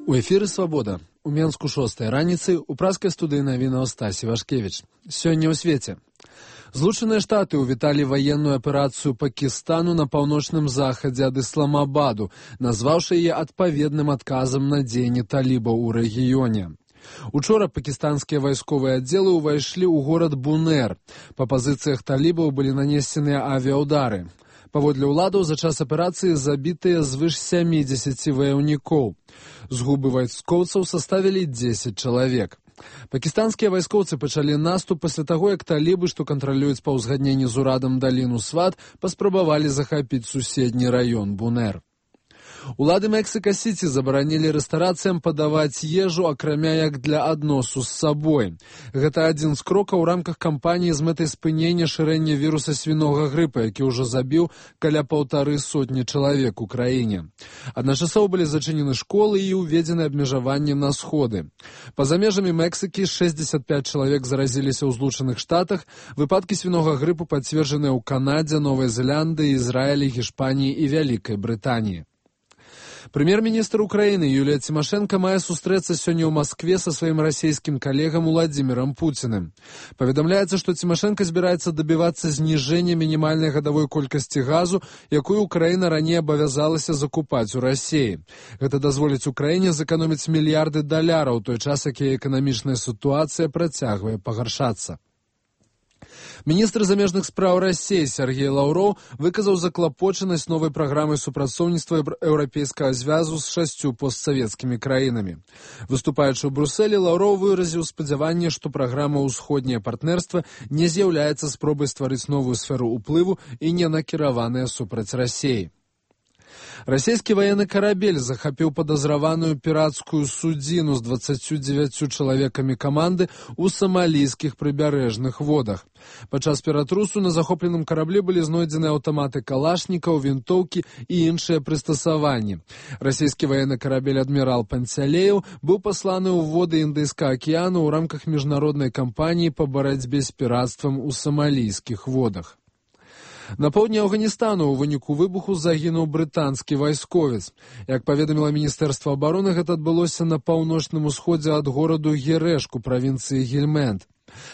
У эфіры «Свабода». У Менску 6 раніцы, у праскай студыі навінаў Стасі Вашкевіч. Сёння ў свеце. Злучаныя Штаты ўвіталі ваенную аперацыю Пакістану на паўночным захадзе ад Ісламабаду, назваўшы яе адпаведным адказам на дзеянні талібаў у рэгіёне. Учора пакістанскія вайсковыя аддзелы ўвайшлі ў горад Бунер. Па пазіцыях талібаў былі нанесеныя авіаудары. Паводле ўладаў, за час аперацыі забітыя звыш 70 ваяўнікоў. Згубы вайскоўцаў составілі 10 чалавек. Пакістанскія вайскоўцы пачалі наступ пасля таго, як талібы, што кантралююць па ўзгадненні з урадам даліну Сват, паспрабавалі захапіць суседні раён Бунер. Улады Мексіка-Сіці забаранілі рэстарацыям падаваць ежу, акрамя як для адносу з сабой. Гэта адзін з крокаў у рамках кампаніі з мэтай спынення шырэння віруса свінога грыпа, які ўжо забіў каля 150 чалавек у краіне. Адначасова былі зачынены школы і ўведзены абмежаванні на сходы. Па-за межамі Мексікі 65 чалавек заразіліся ў Злучаных Штатах. Выпадкі свінога грыпу пацверджаныя ў Канадзе, Новай Зеландыі, Ізраілі, Гішпаніі і Вялікай Брытаніі. Прэм'ер-міністр Украіны Юлія Цімашэнка мае сустрэцца сёння ў Маскве са сваім расійскім калегам Уладзімірам Пуціным. Паведамляецца, што Цімашэнка збіраецца дабівацца зніжэння мінімальнай гадавой колькасці газу, якую Украіна раней абавязалася закупаць у Расіі. Гэта дазволіць Украіне зэканоміць мільярды даляраў, у той час, як яе эканамічная сітуацыя працягвае пагаршацца. Міністр замежных спраў Расіі Сергей Лаўроў выказаў заклапочанасць новай праграмай супрацоўніцтва Еўрапейскага звязу з 6 постсавецкімі краінамі. Выступаючы ў Брусэлі, Лаўроў выразіў спадзяванне, што праграма «Усходняе партнерства» не з'яўляецца спробай стварыць новую сферу ўплыву і не накіраваная супраць Расіі. Расійскі ваенны карабель захапіў падазраваную піратскую судзіну з 29 чалавекамі каманды ў самалійскіх прыбярэжных водах. Падчас ператрусу на захопленым караблі былі знойдзены аўтаматы калашнікаў, вінтоўкі і іншыя прыстасаванні. Расійскі ваенны карабель «Адмірал Панцялеев» быў пасланы ў воды Індыйскага акіяну ў рамках міжнароднай кампаніі па барацьбе з піратствам у самалійскіх водах. На поўдні Афганістану ў выніку выбуху загінуў брытанскі вайсковец. Як паведаміла Міністэрства абароны, гэта адбылося на паўночным усходзе ад гораду Герэшку правінцыі Гельмэнд.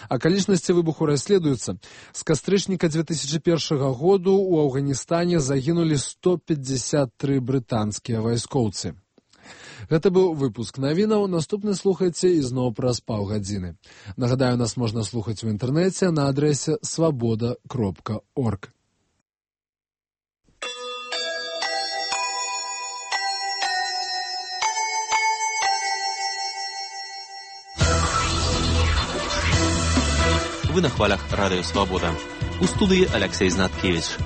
Акалічнасці выбуху расследуюцца. З кастрычніка 2001 году ў Афганістане загінулі 153 брытанскія вайскоўцы. Гэта быў выпуск навінаў. Наступны слухайце ізноў праз паўгадзіны. Нагадаю, нас можна слухаць у інтэрнэце на адрэсе swaboda.org. Вы на хвалях радыё «Свабода». У студыі Аляксей Знаткевіч.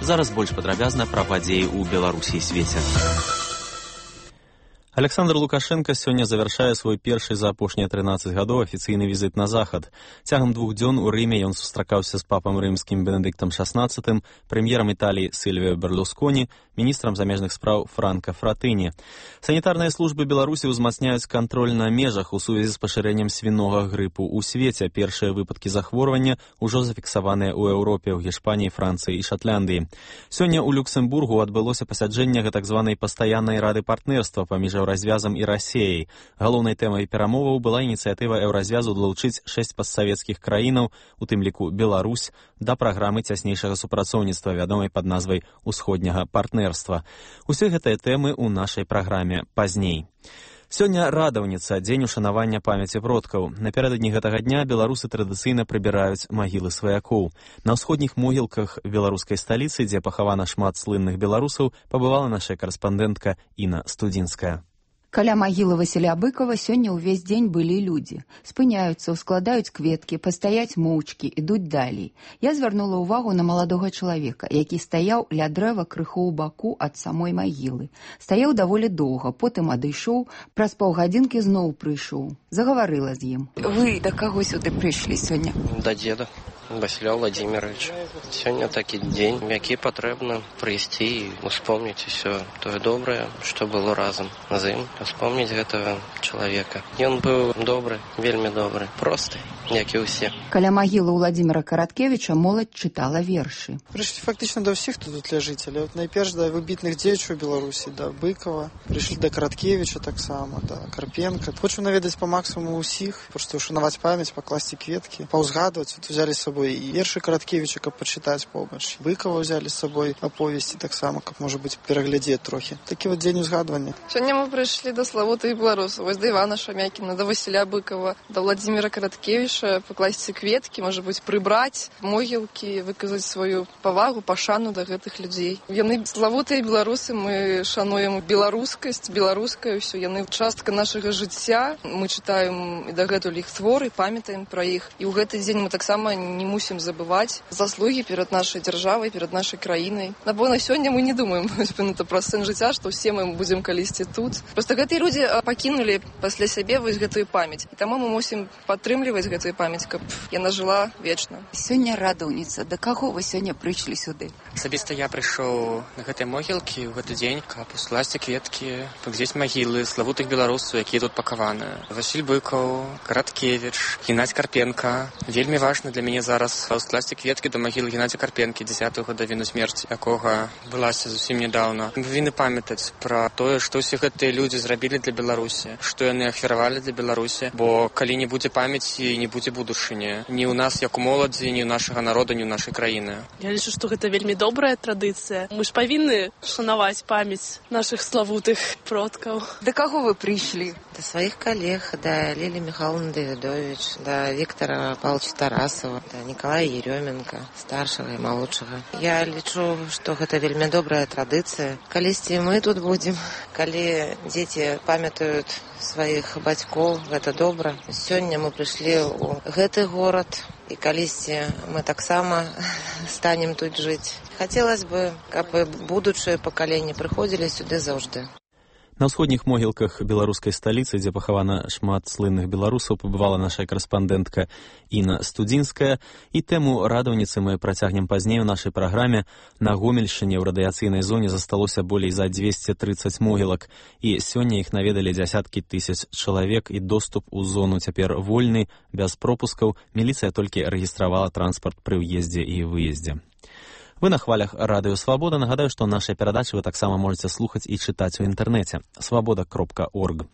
Зараз больш падрабязна пра падзеі ў Беларусі і свеце. Александр Лукашенко сёння завяршае свой першы за апошнія 13 гадоў афіцыйны візіт на захад. Цягам 2 дзён у Рыме ён сустракаўся з папам рымскім Бенедыктам XVI, прэм'ерам Італіі Сільвіо Берлусконі, міністрам замежных спраў Франка Фратыні. Санітарныя службы Беларусі ўзмацняюць кантроль на межах у сувязі з пашырэннем свінога грыпу ў свеце. Першыя выпадкі захворвання ўжо зафіксаваныя ў Еўропе, ў Гішпаніі, Францыі і Шатландыі. Сёння ў Люксембургу адбылося пасяджэнне так званай пастаяннай рады партнерства паміж Еўразвязам і Расіяй. Галоўнай тэмай перамоваў была ініцыятыва Еўразвязу далучыць 6 постсавецкіх краінаў, у тым ліку Беларусь, да праграмы цяснейшага супрацоўніцтва, вядомай пад назвай «Усходняга партнерства». Усе гэтыя тэмы ў нашай праграме пазней. Сёння радаўніца, дзень ушанавання памяці продкаў. Напярэдадні гэтага дня беларусы традыцыйна прыбіраюць магілы сваякоў. На ўсходніх могілках беларускай сталіцы, дзе пахавана шмат слынных беларусаў, пабывала наша карэспандэнтка Інна Студзінская. Каля магілы Васіля Быкова сёння ўвесь дзень былі людзі. Спыняюцца, ускладаюць кветкі, пастаяць моўчкі, ідуць далей. Я звярнула ўвагу на маладога чалавека, які стаяў ля дрэва крыху ў баку ад самой магілы. Стаяў даволі доўга, потым адышоў, праз паўгадзінкі зноў прыйшоў. Загаварыла з ім. Вы да каго сюды прыйшлі сёння? Да дзеда. Васіля Владимировича. Сёння такі дзень, які патрэбна прыйсці і успомніць усё тое добрае, што было разам з ім, успомніць гэтага чалавека. Ён быў добры, вельмі добры, просты, як і ўсе. Каля магілы Владимира Караткевіча моладзь чытала вершы. Прыйшлі фактычна да ўсіх, хто тут ляжыць, але найперш да выбітных дзеячаў Беларусі, да Быкова, прыйшлі да Караткевіча таксама, да Карпенка. Хочу наведаць па максимуму ўсіх, проста ушанаваць памяць, пакласці кветкі, паўзгадваць. Вот узялі з сабой і вершы Караткевіча, каб пачытаць побач. Быкова ўзялі з сабой аповесці таксама, каб, можа быць, пераглядзець трохі. Такі вот дзень узгадвання. Сёння мы прыйшлі да славутых беларусаў, вось да Івана Шамякіна, да Васіля Быкова, да Владимира Караткевіча, пакласці кветкі, можа быць, прыбраць могілкі, выказаць сваю павагу, пашану да гэтых людзей. Яны славутыя беларусы, мы шануем беларускасць, беларускае ўсё, яны частка нашага жыцця. Мы чытаем і дагэтуль іх творы, памятаем пра іх. І ў гэты дзень мы таксама не мусім забываць заслугі перад нашай дзяржавай, перад нашай краінай. Напэўна, сёння мы не думаем пра сэн жыцця, што ўсе мы будзем калісьці тут. Проста гэтыя людзі пакінулі пасля сябе вось гэтую памяць. І таму мы мусім падтрымліваць гэтую памяць, каб яна жыла вечна. Сёння радоўніца. Да каго вы сёння прыйшлі сюды? Асабіста я прыйшоў на гэтай могілкі ў гэты дзень, каб ускласці кветкі, паглядзець магілы славутых беларусаў, якія тут пакаваны. Васіль Быкаў, Караткевіч, Геннадзь Карпенка. Вельмі важна для мяне зараз ускласці кветкі да магілы Геннадзя Карпенкі, 10-го гадавіну смерці, якога былася зусім нядаўна. Мы павінны памятаць пра тое, што ўсе гэтыя людзі зрабілі для Беларусі, што яны ахвяравалі для Беларусі, бо калі не будзе памяці, не будзе будучыні. Ні ў нас, як у моладзі, ні ў нашага народа, ні ў нашай краіны. Я лічу, што гэта вельмі добрая традыцыя. Мы ж павінны шанаваць памяць нашых славутых продкаў. Да каго вы прыйшлі? Да сваіх калег, да Лілі Михайловны Давідович, да Віктора Павловича Тарасова, да Николая Еременко, старшага і малодшага. Я лічу, што гэта вельмі добрая традыцыя. Калісьці мы тут будзем, калі дзеці памятаюць сваіх бацькоў, гэта добра. Сёння мы прыйшлі ў гэты горад, і калісьці мы таксама станем тут жыць. Хацелася бы, каб будучыя пакаленні прыходзілі сюды заўжды. На ўсходніх могілках беларускай сталіцы, дзе пахавана шмат слынных беларусаў, пабывала наша карэспандэнтка Інна Студзінская. І тэму радаўніцы мы працягнем пазней у нашай праграме. На Гомельшчыне ў радыяцыйнай зоне засталося болей за 230 могілак. І сёння іх наведалі дзясяткі тысяч чалавек, і доступ у зону цяпер вольны, без пропускаў. Міліцыя толькі рэгістравала транспарт пры ўездзе і выездзе. Вы на хвалях Радыё Свабода. Нагадаю, што нашыя перадачы вы таксама можаце слухаць і чытаць у інтэрнэце свабода.орг.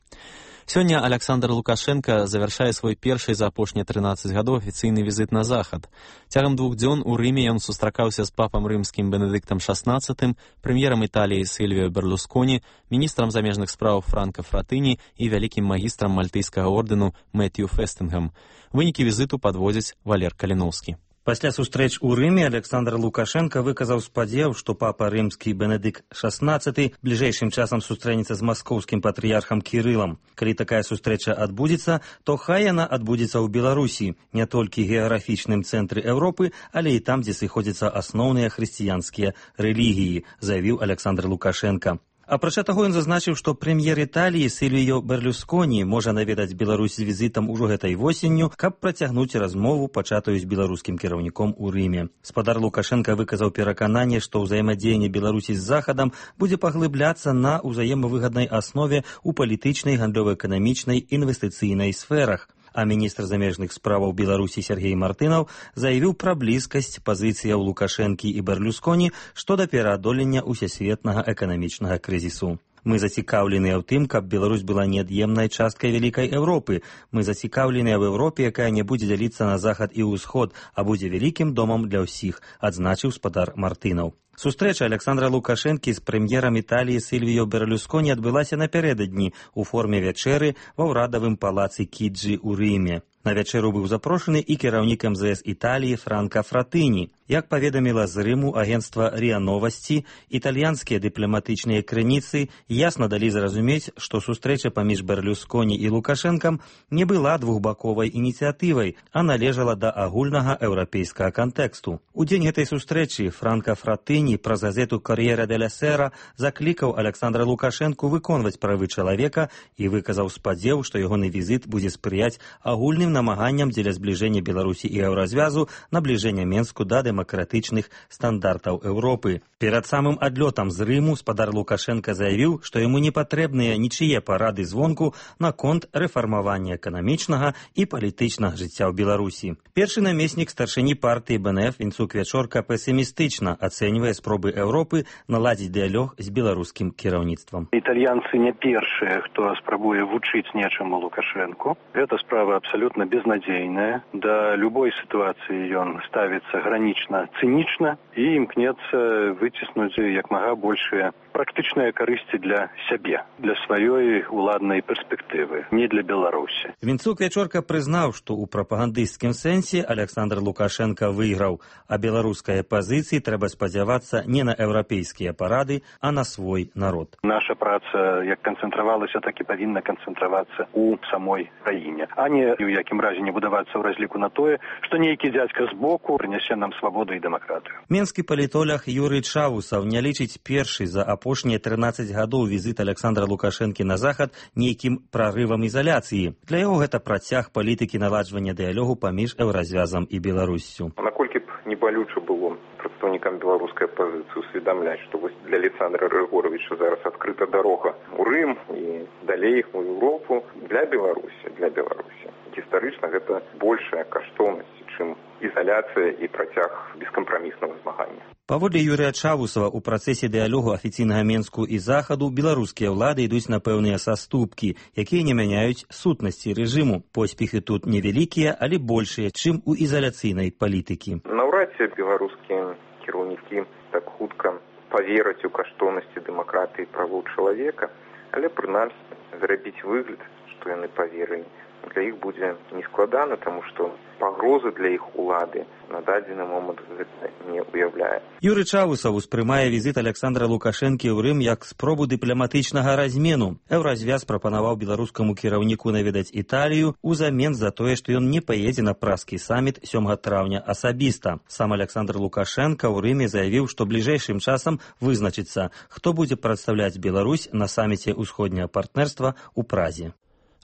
Сёння Александр Лукашенко завяршае свой першы за апошнія 13 гадоў афіцыйны візіт на захад. Цягам 2 дзён у Рыме ён сустракаўся з папам рымскім Бенедыктам XVI, прэм'ерам Італіі Сільвіё Берлусконі, міністрам замежных спраў Франка Фратыні і вялікім магістрам мальтыйскага ордэну Мэтью Фестынгам. Вынікі візіту падводзіць Валер Каліноўскі. Пасля сустрэч у Рыме Александр Лукашенко выказаў спадзеў, што папа рымскі Бенедыкт XVI бліжэйшым часам сустрэнецца з маскоўскім патрыярхам Кірылам. Калі такая сустрэча адбудзецца, то хай яна адбудзецца ў Беларусі, не толькі геаграфічным цэнтры Еўропы, але і там, дзе сыходзяцца асноўныя хрысціянскія рэлігіі, заявіў Александр Лукашенко. Апрача таго, ён зазначыў, што прэм'ер Італіі Сільвіё Берлусконі можа наведаць Беларусь з візітам ужо гэтай восенню, каб працягнуць размову, пачатую з беларускім кіраўніком у Рыме. Спадар Лукашенка выказаў перакананне, што ўзаемадзеянне Беларусі з Захадам будзе паглыбляцца на ўзаемавыгаднай аснове ў палітычнай, гандлёва-эканамічнай, інвестыцыйнай сферах. А міністр замежных справаў Беларусі Сергей Мартынаў заявіў пра блізкасць пазіцыяў Лукашэнкі і Берлусконі што да пераадолення усесветнага эканамічнага крызісу. Мы зацікаўленыя ў тым, каб Беларусь была неад'емнай часткай вялікай Еўропы. Мы зацікаўленыя ў Еўропе, якая не будзе дзяліцца на захад і ўсход, а будзе вялікім домам для ўсіх, адзначыў спадар Мартынаў. Сустрэча Александра Лукашэнкі з прэм'ерам Італіі Сільвіё Берлусконі адбылася напярэдадні ў форме вячэры ва ўрадавым палацы Кіджі ў Рыме. На вячэру быў запрошаны і кіраўнік МЗС Італіі Франка Фратыні. Як паведаміла з Рыму агенцтва РИА Новасці, італьянскія дыпламатычныя крыніцы ясна далі зразумець, што сустрэча паміж Берлусконі і Лукашэнкам не была двухбаковай ініцыятывай, а належала да агульнага еўрапейскага кантэксту. У дзень гэтай сустрэчы Франка Фратыні праз газету «Кор'єре деля Сера» заклікаў Александра Лукашэнку выконваць правы чалавека і выказаў спадзеў, што ягоны візіт будзе спрыяць агульным супольным намаганням дзеля збліжэння Беларусі і Еўразвязу, набліжэння Менску да дэмакратычных стандартаў Еўропы. Перад самым адлётам з Рыму спадар Лукашенка заявіў, што яму не патрэбныя нічые парады звонку наконт рэфармавання эканамічнага і палітычнага жыцця ў Беларусі. Першы намеснік старшыні партыі БНФ Вінцук Вячорка песімістычна ацэньвае спробы Еўропы наладзіць дыялог з беларускім кіраўніцтвам. Італьянцы не першыя, хто спрабуе вучыць нечаму Лукашенку. Гэта справа абсалютна безнадзейная. Да любой сітуацыі ён ставіцца гранічна цынічна і імкнецца выціснуць як мага большыя практычныя карысці для сябе, для сваёй уладнай перспектывы, не для Беларусі. Вінцук Вячорка прызнаў, што ў прапагандысцкім сэнсе Александр Лукашенка выйграў, а беларускай апазіцыі трэба спадзявацца не на еўрапейскія парады, а на свой народ. Наша праца як канцэнтравалася, так і павінна канцэнтравацца ў самой краіне, а не ў якім разе не будавацца ў разліку на тое, што нейкі дзядзька збоку прынясе нам свабоду і дэмакратыю. Менскі палітолог Юрый Чавусаў не лічыць першы за апошнія 13 гадоў візіт Александра Лукашэнкі на захад нейкім прарывам ізаляцыі. Для яго гэта працяг палітыкі наладжвання дыялогу паміж Еўразвязам і Беларуссю. Наколькі б не балюча было прадстаўнікам беларускай апазіцыі усведамляць, што вось для Александра Григоровича зараз адкрыта дарога ў Рым і далей у Еўропу для Беларусі. Гістарычна гэта большая каштоўнасць, чым ізаляцыя і працяг бескампраміснага змагання. Паводле Юрыя Чавусава, у працэсе дыялогу афіцыйнага Менску і захаду беларускія ўлады ідуць на пэўныя саступкі, якія не мяняюць сутнасці рэжыму. Поспехі тут невялікія, але большыя, чым у ізаляцыйнай палітыкі. Наўрад ці беларускія кіраўнікі так хутка павераць у каштоўнасці дэмакратыі і правоў чалавека, але прынамсі зрабіць выгляд, што яны паверылі. Для іх будзе нескладана, таму што пагрозы для іх улады на дадзены момант гэта не ўяўляе. Юрый Чавусаў успрымае візіт Александра Лукашэнкі ў Рым як спробу дыпламатычнага размену. Еўразвяз прапанаваў беларускаму кіраўніку наведаць Італію узамен за тое, што ён не паедзе на празкі саміт 7 траўня асабіста. Сам Александр Лукашенка ў Рыме заявіў, што бліжэйшым часам вызначыцца, хто будзе прадстаўляць Беларусь на саміце ўсходняга партнерства ў Празе.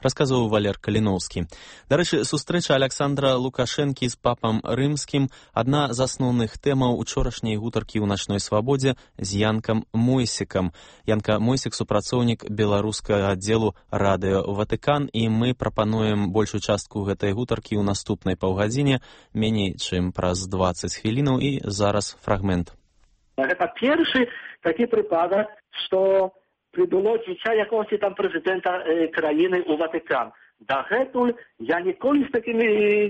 Расказваў Валер Каліноўскі. Дарэчы, сустрэча Александра Лукашэнкі з папам рымскім адна з асноўных тэмаў учорашняй гутаркі ў начной свабодзе з Янкам Мойсікам. Янка Мойсік супрацоўнік беларускага аддзелу радыё Ватыкан, і мы прапануем большую частку гэтай гутаркі ў наступнай паўгадзіне, меней чым праз 20 хвілінаў, і зараз фрагмент. Гэта першы такі прыпадак, што прыбыло дзіця якогось там прэзідэнта краіны ў Ватыкан. Дагэтуль я ніколі з такімі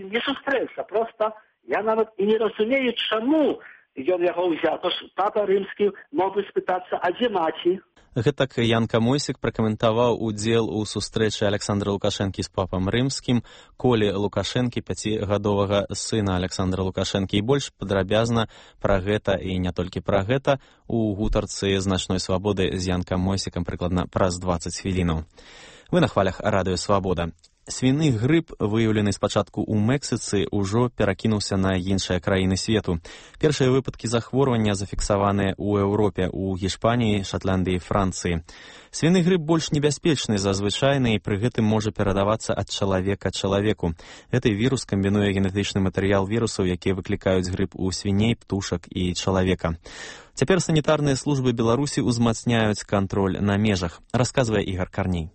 не сустрэўся. Проста я нават і не разумею, чаму ён яго ўзяў. Тож папа рымскі мог бы спытацца, а дзе маці? Гэтак Янка Мойсік пракаментаваў удзел у сустрэчы Александра Лукашэнкі з папам рымскім, Колі Лукашэнкі, 5гадовага сына Александра Лукашэнкі. І больш падрабязна пра гэта, і не толькі пра гэта, у гутарцы з начной свабоды з Янкам Мойсікам прыкладна праз 20 хвілінаў. Вы на хвалях радыё Свабода. Свіны грып, выяўлены спачатку ў Мексіцы, ужо перакінуўся на іншыя краіны свету. Першыя выпадкі захворвання зафіксаваныя ў Еўропе, у Гішпаніі, Шатландыі, Францыі. Свіны грып больш небяспечны за звычайны і пры гэтым можа перадавацца ад чалавека чалавеку. Гэты вірус камбінуе генетычны матэрыял вірусаў, якія выклікаюць грып у свіней, птушак і чалавека. Цяпер санітарныя службы Беларусі ўзмацняюць кантроль на межах, расказвае Ігар Карней.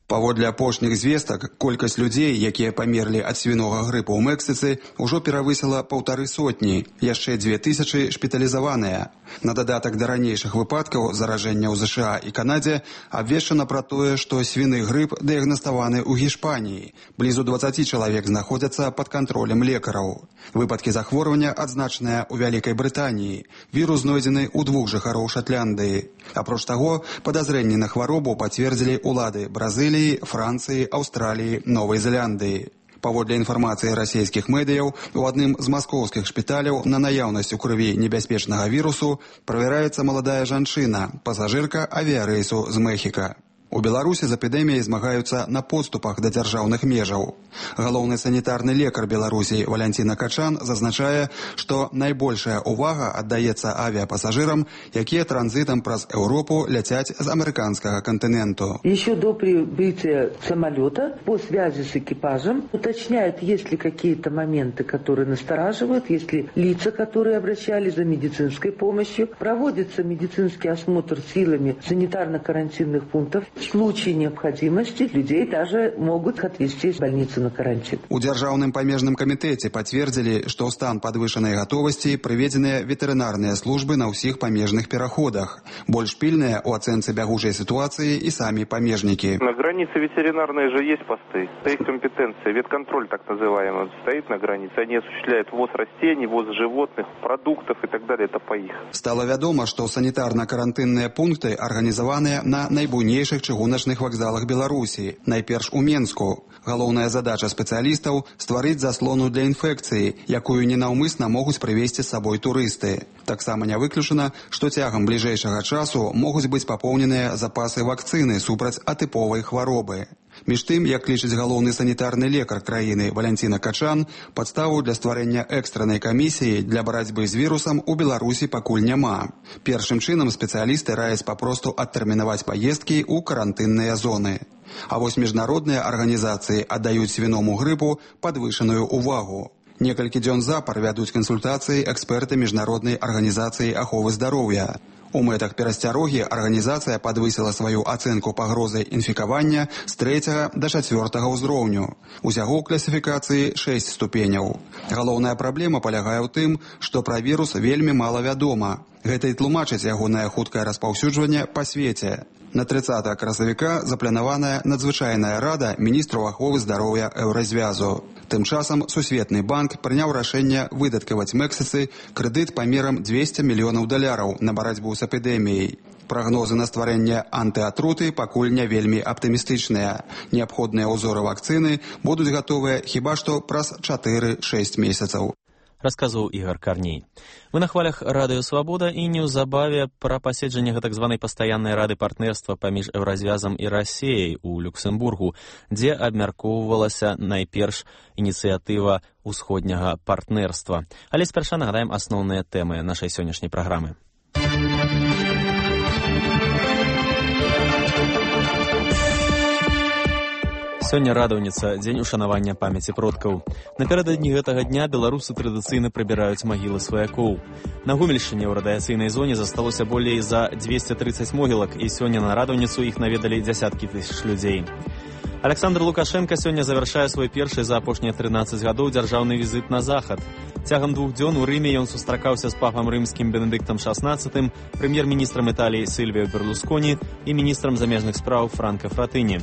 Паводле апошніх звестак, колькасць людзей, якія памерлі ад свінога грыпу ў Мексіцы, ужо перавысіла 1500, яшчэ 2000 шпіталізаваныя. На дадатак да ранейшых выпадкаў заражэння ў ЗША і Канадзе абвешчана пра тое, што свіны грып дыягнаставаны ў Гішпаніі. Блізу 20 чалавек знаходзяцца пад кантролем лекараў. Выпадкі захворвання адзначаныя ў Вялікай Брытаніі. Вірус знойдзены ў 2 жыхароў Шатландыі. Апроч таго, падазрэнні на хваробу пацвердзілі ўлады Бразыліі, Францыі, Аўстраліі, Новай Зеландыі. Паводле інфармацыі расійскіх медыяў, у адным з маскоўскіх шпіталяў на наяўнасць у крыві небяспечнага вірусу правяраецца маладая жанчына, пасажырка авіярэйсу з Мехіка. У Беларусі з эпідэміяй змагаюцца на подступах да дзяржаўных межаў. Галоўны санітарны лекар Беларусі Валянціна Качан зазначае, што найбольшая увага аддаецца авіапасажырам, якія транзитом праз Европу ляцяць з американского континенту. Еще до прибытия самолета по связи с экипажем уточняют, есть ли какие-то моменты, которые настораживают, есть ли лица, которые обращались за медицинской помощью. Проводится медицинский осмотр силами санитарно-карантинных пунктов. В случае необходимости людей даже могут отвезти из больницы на карантин. У Дзяржаўным памежным камітэце пацвердзілі, што ў стан падвышанай гатовасці прыведзеныя ветэрынарныя службы на ўсіх памежных пераходах. Больш пільныя ў ацэнцы бягучай сітуацыі і самі памежнікі. На границе ветеринарные же есть посты. Стоит компетенция, ветконтроль так называемый, стоит на границе. Они осуществляют ввоз растений, ввоз животных, продуктов и так далее. Это по их. Стало вядома, што санітарна-карантынныя пункты арганізаваныя на найбуйнейшых чыгуначных вакзалах Беларусі, найперш у Менску. Галоўная задача спецыялістаў – стварыць заслону для інфекцыі, якую ненаўмысна могуць прывезці з сабой турысты. Таксама не выключана, што цягам бліжэйшага часу могуць быць папоўненыя запасы вакцыны супраць атыповай хваробы. Між тым, як лічыць галоўны санітарны лекар краіны Валянціна Качан, падставу для стварэння экстраннай камісіі для барацьбы з вірусам у Беларусі пакуль няма. Першым чынам спецыялісты раяць папросту адтэрмінаваць паездкі ў карантынныя зоны. А вось міжнародныя арганізацыі аддаюць свіному грыпу падвышаную увагу. Некалькі дзён запар вядуць кансультацыі эксперты міжнароднай арганізацыі аховы здароўя. У мэтах перасцярогі арганізацыя падвысіла сваю ацэнку пагрозы інфікавання з 3 да 4 ўзроўню. Усяго ў класіфікацыі 6 ступеняў. Галоўная праблема палягае ў тым, што пра вірус вельмі мала вядома. Гэта і тлумачыць ягонае хуткае распаўсюджванне па свеце. На 30 красавіка запланаваная надзвычайная рада міністраў аховы здароўя Еўразвязу. Тым часам Сусветны банк прыняў рашэнне выдаткаваць Мексіцы крэдыт памерам $200 мільёнаў на барацьбу з эпідэміяй. Прагнозы на стварэнне антыатруты пакуль не вельмі аптымістычныя. Неабходныя ўзоры вакцыны будуць гатовыя хіба што праз 4-6 месяцаў. Расказваў Ігор Карней. Мы на хвалях Радыё Свабода і неўзабаве пра паседжанне так званай пастаяннай рады партнерства паміж Еўразвязам і Расіяй у Люксембургу, дзе абмяркоўвалася найперш ініцыятыва ўсходняга партнерства. Але спярша нагадаем асноўныя тэмы нашай сённяшняй праграмы. Сёння радаўніца, дзень ушанавання памяці продкаў. Напярэдадні гэтага дня беларусы традыцыйна прыбіраюць магілы сваякоў. На Гомельшчыне ў радыяцыйнай зоне засталося болей за 230 могілак, і сёння на радаўніцу іх наведалі дзясяткі тысяч людзей. Александр Лукашенко сёння завяршае свой першы за апошнія 13 гадоў дзяржаўны візіт на захад. Цягам 2 дзён у Рыме ён сустракаўся з папам рымскім Бенедыктам XVI, прэм'ер-міністрам Італіі Сильвіо Берлусконі і міністрам замежных спраў Франко Фратыні.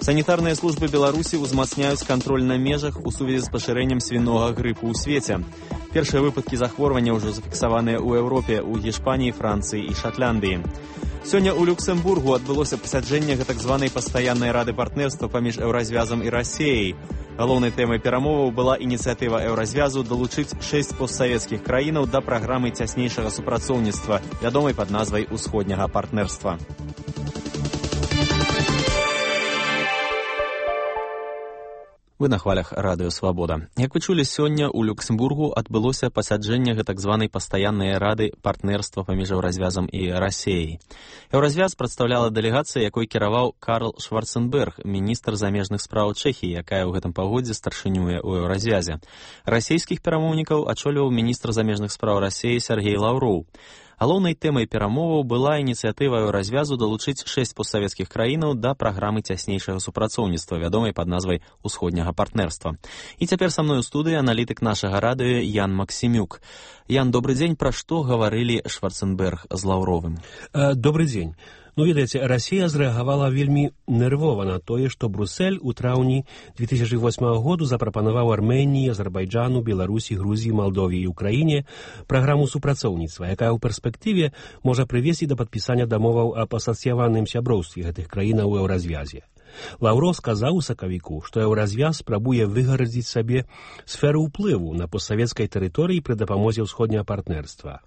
Санітарныя службы Беларусі ўзмацняюць кантроль на межах у сувязі з пашырэннем свінога грыпу ў свеце. Першыя выпадкі захворвання ўжо зафіксаваныя ў Еўропе, у Гішпаніі, Францыі і Шатландыі. Сёння ў Люксембургу адбылося пасяджэнне так званай пастаяннай рады партнерства паміж Еўразвязам і Расіяй. Галоўнай тэмай перамоваў была ініцыятыва Еўразвязу далучыць 6 постсавецкіх краінаў да праграмы цяснейшага супрацоўніцтва, вядомай пад назвай усходняга партнерства. Вы на хвалях Радыё Свабода. Як вы чулі, сёння ў Люксембургу адбылося пасяджэнне так званай пастаяннай рады партнерства паміж Еўразвязам і Расіяй. Еўразвяз прадстаўляла дэлегацыя, якой кіраваў Карл Шварценберг, міністр замежных спраў Чэхіі, якая ў гэтым пагодзе старшынюе ў Еўразвязе. Расійскіх перамоўнікаў ачоліваў міністр замежных спраў Расіі Сергей Лаўроў. Галоўнай тэмай перамоваў была ініцыятыва Еўразвязу далучыць 6 постсавецкіх краінаў да праграмы цяснейшага супрацоўніцтва, вядомай пад назвай усходняга партнерства. І цяпер са мной у студыі аналітык нашага радыё Ян Максімюк. Ян, добры дзень, пра што гаварылі Шварценберг з Лаўровым? Добры дзень. Ну, ведаеце, Расія зрэагавала вельмі нервова на тое, што Брюссель у траўні 2008 году запрапанаваў Арменіі, Азербайджану, Беларусі, Грузіі, Малдове і Украіне праграму супрацоўніцтва, якая ў перспектыве можа прывесці да падпісання дамоваў аб асацыяваным сяброўстве гэтых краінаў у Еўразвязе. Лаўров сказаў у сакавіку, што Еўразвяз спрабуе выгарадзіць сабе сферу ўплыву на постсавецкай тэрыторыі пры дапамозе ўсходняга партнерства.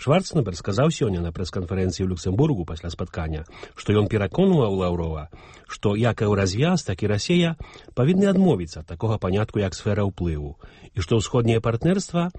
Шварценеггер сказаў сёння на прэс-канферэнцыі ў Люксембургу пасля спаткання, што ён пераконваў Лаўрова, што як Еўразвяз, так і Расія павінны адмовіцца ад такога панятку, як сфера ўплыву, і што ўсходняе партнерства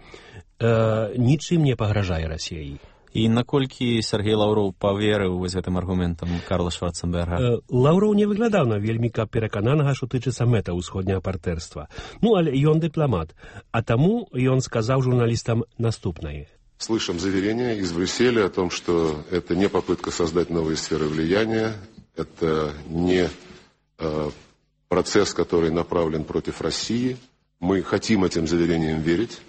нічым не пагражае Расіі. І наколькі Сергей Лаўроў паверыў вось гэтым аргументам Карла Шварценберга? Лаўроў не выглядаў на вельмі перакананага, што тычыцца мэта ўсходняга партнерства. Але ён дыпламат, а таму ён сказаў журналістам наступнае. Слышим заверения из Брюсселя о том, что это не попытка создать новые сферы влияния, это не процесс, который направлен против России. Мы хотим этим заверениям верить.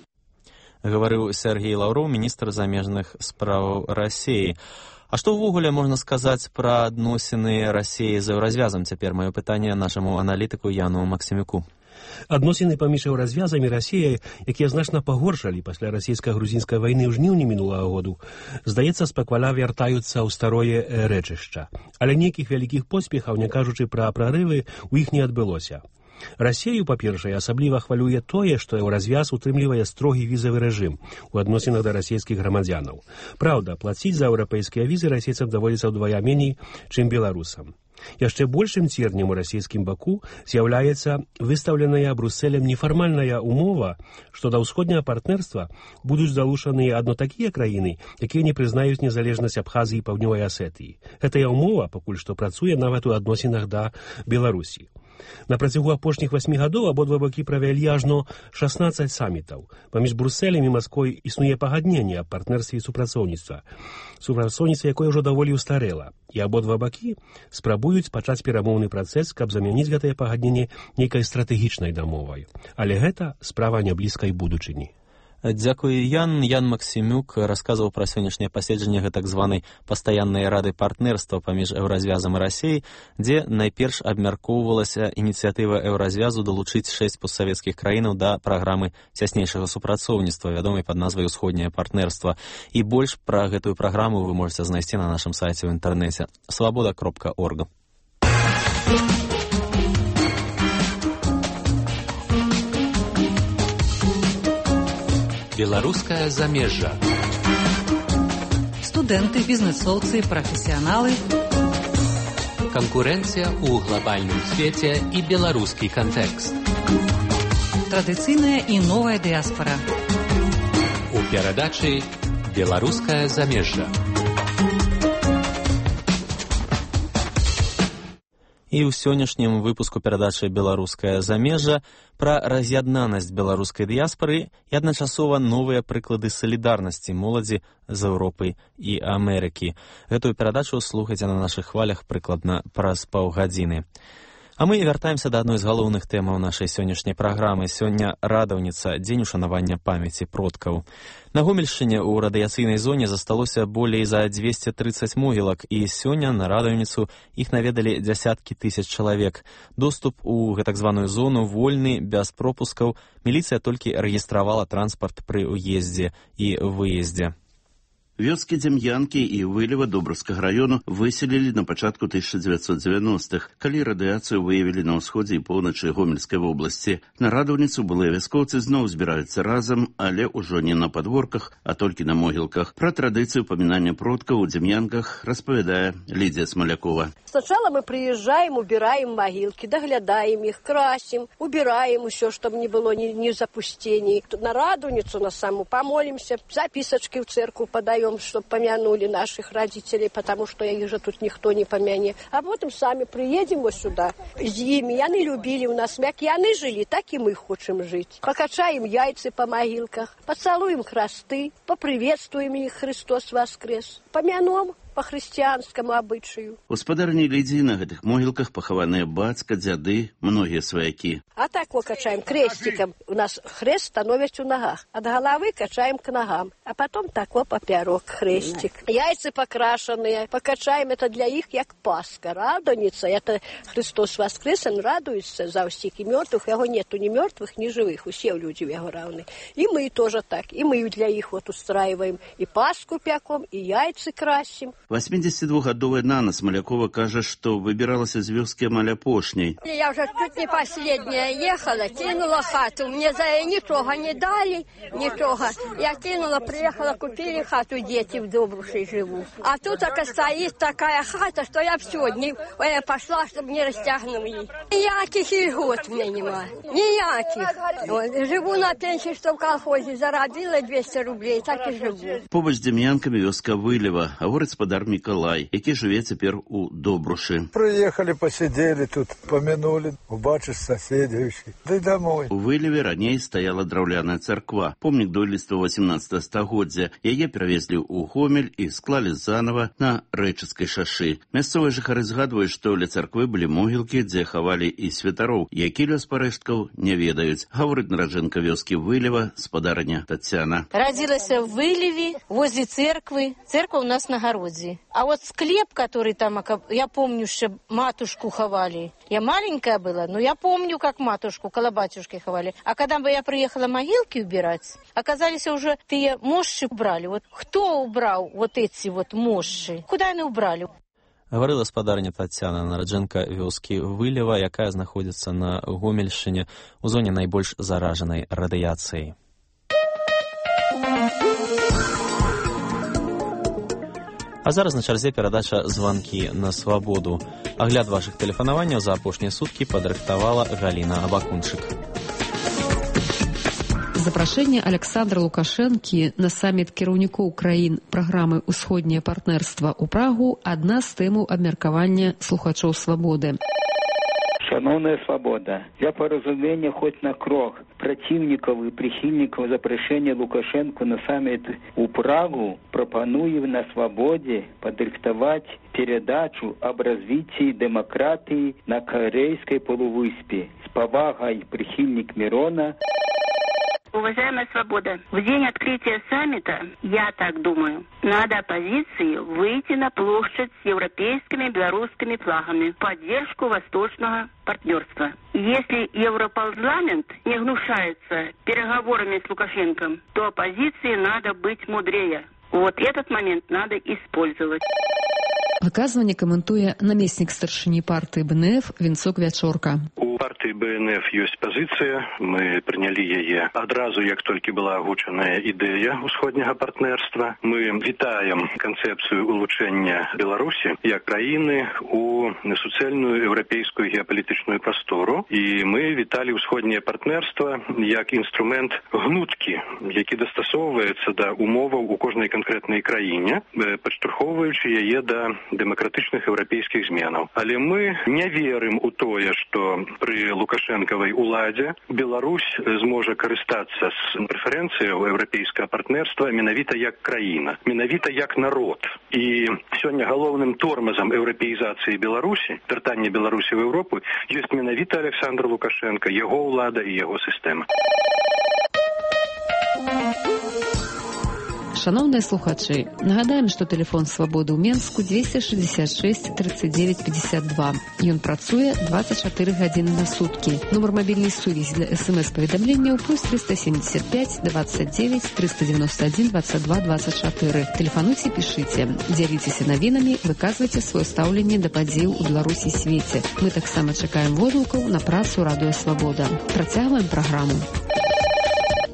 Гаварыў Сергей Лаўроў, міністр замежных спраў Расіі. А што ўвогуле можна сказаць пра адносіны Расіі з Еўразвязам? Цяпер маё пытанне нашаму аналітыку Яну Максімюку. Адносіны паміж Еўразвязам і Расіяй, якія значна пагоршалі пасля расійска-грузінскай вайны ў жніўні мінулага году, здаецца, спакваля вяртаюцца ў старое рэчышча. Але нейкіх вялікіх поспехаў, не кажучы пра прарывы, у іх не адбылося. Расію, па-першае, асабліва хвалюе тое, што Еўразвяз утрымлівае строгі візавы рэжым у адносінах да расійскіх грамадзянаў. Праўда, плаціць за еўрапейскія візы расійцам даводзіцца ўдвая меней, чым беларусам. Яшчэ большым цернем у расійскім баку з'яўляецца выстаўленая Брусселем нефармальная умова, што да ўсходняга партнерства будуць залучаныя адно такія краіны, якія не прызнаюць незалежнасць Абхазіі і Паўднёвай Асетыі. Гэтая умова пакуль што працуе нават у адносінах да Беларусі. На працягу апошніх 8 гадоў абодва бакі правялі ажно 16 самітаў. Паміж Брусселем і Масквой існуе пагадненне аб партнерстве і супрацоўніцтва, якое ўжо даволі устарэла, і абодва бакі спрабуюць пачаць перамоўны працэс, каб замяніць гэтае пагадненне нейкай стратэгічнай дамовай. Але гэта справа няблізкай будучыні. Дзякуй, Ян. Ян Максімюк расказваў пра сённяшняе паседжанне так званай пастаяннай рады партнерства паміж Еўразвязам і Расіяй, дзе найперш абмяркоўвалася ініцыятыва Еўразвязу далучыць 6 постсавецкіх краінаў да праграмы цяснейшага супрацоўніцтва, вядомай пад назвай «Усходняе партнерства». І больш пра гэтую праграму вы можаце знайсці на нашым сайце ў інтэрнэце свабода.орг. Беларускае замежжа. Студэнты, бізнэсоўцы, прафесіяналы. Канкурэнцыя ў глобальным свеце і беларускі кантэкст. Традыцыйная і новая дыяспара. У перадачы «Беларускае замежжа». І ў сённяшнім выпуску перадачы «Беларускае замежжа» пра раз'яднанасць беларускай дыяспары і адначасова новыя прыклады салідарнасці моладзі з Еўропы і Амерыкі. Гэтую перадачу слухайце на нашых хвалях прыкладна праз паўгадзіны. А мы вяртаемся да адной з галоўных тэмаў нашай сённяшняй праграмы. Сёння радаўніца, дзень ушанавання памяці продкаў. На Гомельшчыне ў радыяцыйнай зоне засталося болей за 230 могілак, і сёння на радаўніцу іх наведалі дзясяткі тысяч чалавек. Доступ у гэтак званую зону вольны, без пропускаў. Міліцыя толькі рэгістравала транспарт пры ўездзе і выездзе. Вёскі Дзем'янкі і Вылева Добраўскага раёну выселілі на пачатку 1990-х, калі радыяцыю выявілі на ўсходзе і поўначы Гомельскай вобласці. На радаўніцу былыя вяскоўцы зноў збіраюцца разам, але ўжо не на падворках, а толькі на могілках. Пра традыцыю памінання продкаў у Дзем'янках распавядае Лідзія Смалякова. Сначала мы приезжаем, убираем могилки, доглядаем их, красим, убираем все, чтобы не было ни запустений. На радуницу на саму помолимся, записочки в церковь подаем, чтобы помянули наших родителей, потому что их же тут никто не помянет. А потом сами приедем вот сюда. С ними, они любили у нас, как они жили, так и мы хотим жить. Покачаем яйца по могилках, поцелуем хресты, поприветствуем их, Христос воскрес, помянем по хрысціянскаму абычаю. Гаспадарні Лідзі на гэтых могілках пахаваныя бацька, дзяды, многія сваякі. А так вот качаем крестиком. У нас хрест становится у ногах. От головы качаем к ногам. А потом так вот поперек хрестик. Яйца покрашенные. Покачаем, это для их, как Пасха. Радуница, это Христос воскрес, он радуется за всех и мертвых. Его нету ни мертвых, ни живых. Все люди его равны. И мы тоже так. И мы для их вот устраиваем. И Пасху пеком, и яйца красим. 82-гадовая Нана Смолякова кажа, што выбіралася з вёскі амаль апошняй. Я уже чуть не последняя ехала, кинула хату. Мне за ничего не дали, ничего. Я кинула, приехала, купили хату, дети в Добруши живут. А тут так стоит такая хата, что я все, пошла, чтобы не растягнули. Никаких льгот мне нема. Никаких. Живу на пенсии, что в колхозе заробила 200 рублей, так и живу. Побач з Дем'янкамі вёска Вылева, гаворыць спадар Мікалай, які жыве цяпер у Добрушы. Приехали, посидели тут, помянули, убачишь соседей, да и домой. У Вылеве раней стаяла драўляная царква, помнік дойлідства 18 стагоддзя. Яе перавезлі ў Гомель і склалі занова на Рэчыцкай шашы. Мясцовыя жыхары згадваюць, што ля царквы былі могілкі, дзе хавалі і святароў, які лёс парэшткаў не ведаюць. Гаворыць нараджэнка вёскі Вылева, спадарыня Тацяна. Родилась в Вылеве, возле церквы. Церковь у нас на огороде. А вот склеп, который там, я помню, что матушку ховали. Я маленькая была, но я помню, как матушку, около батюшки ховали. А когда бы я приехала могилки убирать, оказались уже те мощи убрали. Вот кто убрал вот эти вот мощи? Куда они убрали? Гаварыла спадарня Тацяна, нараджэнка вёскі Вылева, якая знаходзіцца на Гомельшчыне у зоне найбольш заражанай радыяцыяй. А зараз на чарзе перадача «Званкі на свабоду». Агляд вашых тэлефанаванняў за апошнія суткі падрыхтавала Галіна Абакунчык. Запрашэнне Александра Лукашэнкі на саміт кіраўнікоў краін праграмы «Усходняе партнерства» ў Прагу – адна з тэмаў абмеркавання слухачоў «Свабоды». Шановная свобода, для поразумения хоть на крок противников и прихильников запрошения Лукашенко на саммит у Прагу пропоную на свободе подрихтовать передачу об развитии демократии на Корейской полувыспе. С повагой прихильник Мирона. Уважаемая свобода, в день открытия саммита, я так думаю, надо оппозиции выйти на площадь с европейскими и белорусскими флагами в поддержку восточного партнерства. Если Европарламент не гнушается переговорами с Лукашенко, то оппозиции надо быть мудрее. Вот этот момент надо использовать. Выказванне каментуе намеснік старшыні партыі БНФ Вінцок Вячорка. У партыі БНФ ёсць пазіцыя, мы прынялі яе адразу, як толькі была агучаная ідэя усходняга партнерства. Мы вітаем канцэпцыю улучшэння Беларусі як краіны у суцэльную еўрапейскую геапалітычную прастору, і мы віталі усходняе партнерства як інструмент гнуткі, які дастасоўваецца да умоваў у кожнай канкрэтнай краіне, падштурхоўваючы яе да дэмакратычных еўрапейскіх зменаў. Але мы не верым у тое, што пры лукашэнкавай уладзе Беларусь зможа карыстацца з прэферэнцыяў еўрапейскага партнерства менавіта як краіна, менавіта як народ. І сёння галоўным тормазам еўрапеізацыі Беларусі, вяртання Беларусі ў Еўропу, ёсць менавіта Александр Лукашенко, яго ўлада і яго сістэма. Шановныя слухачы, нагадаем, што тэлефон свабоды ў Менску 266 39 52. Ён працуе 24 гадзіны на суткі. Нумар мабільнай сувязі для СМС-паведамленняў + 375 29 391 22 24. Тэлефануйце, пішыце, дзяліцеся навінамі, выказвайце сваё стаўленне да падзеяў у Беларусі і свеце. Мы таксама чакаем водгукаў на працу Радыё Свабода. Працягваем праграму.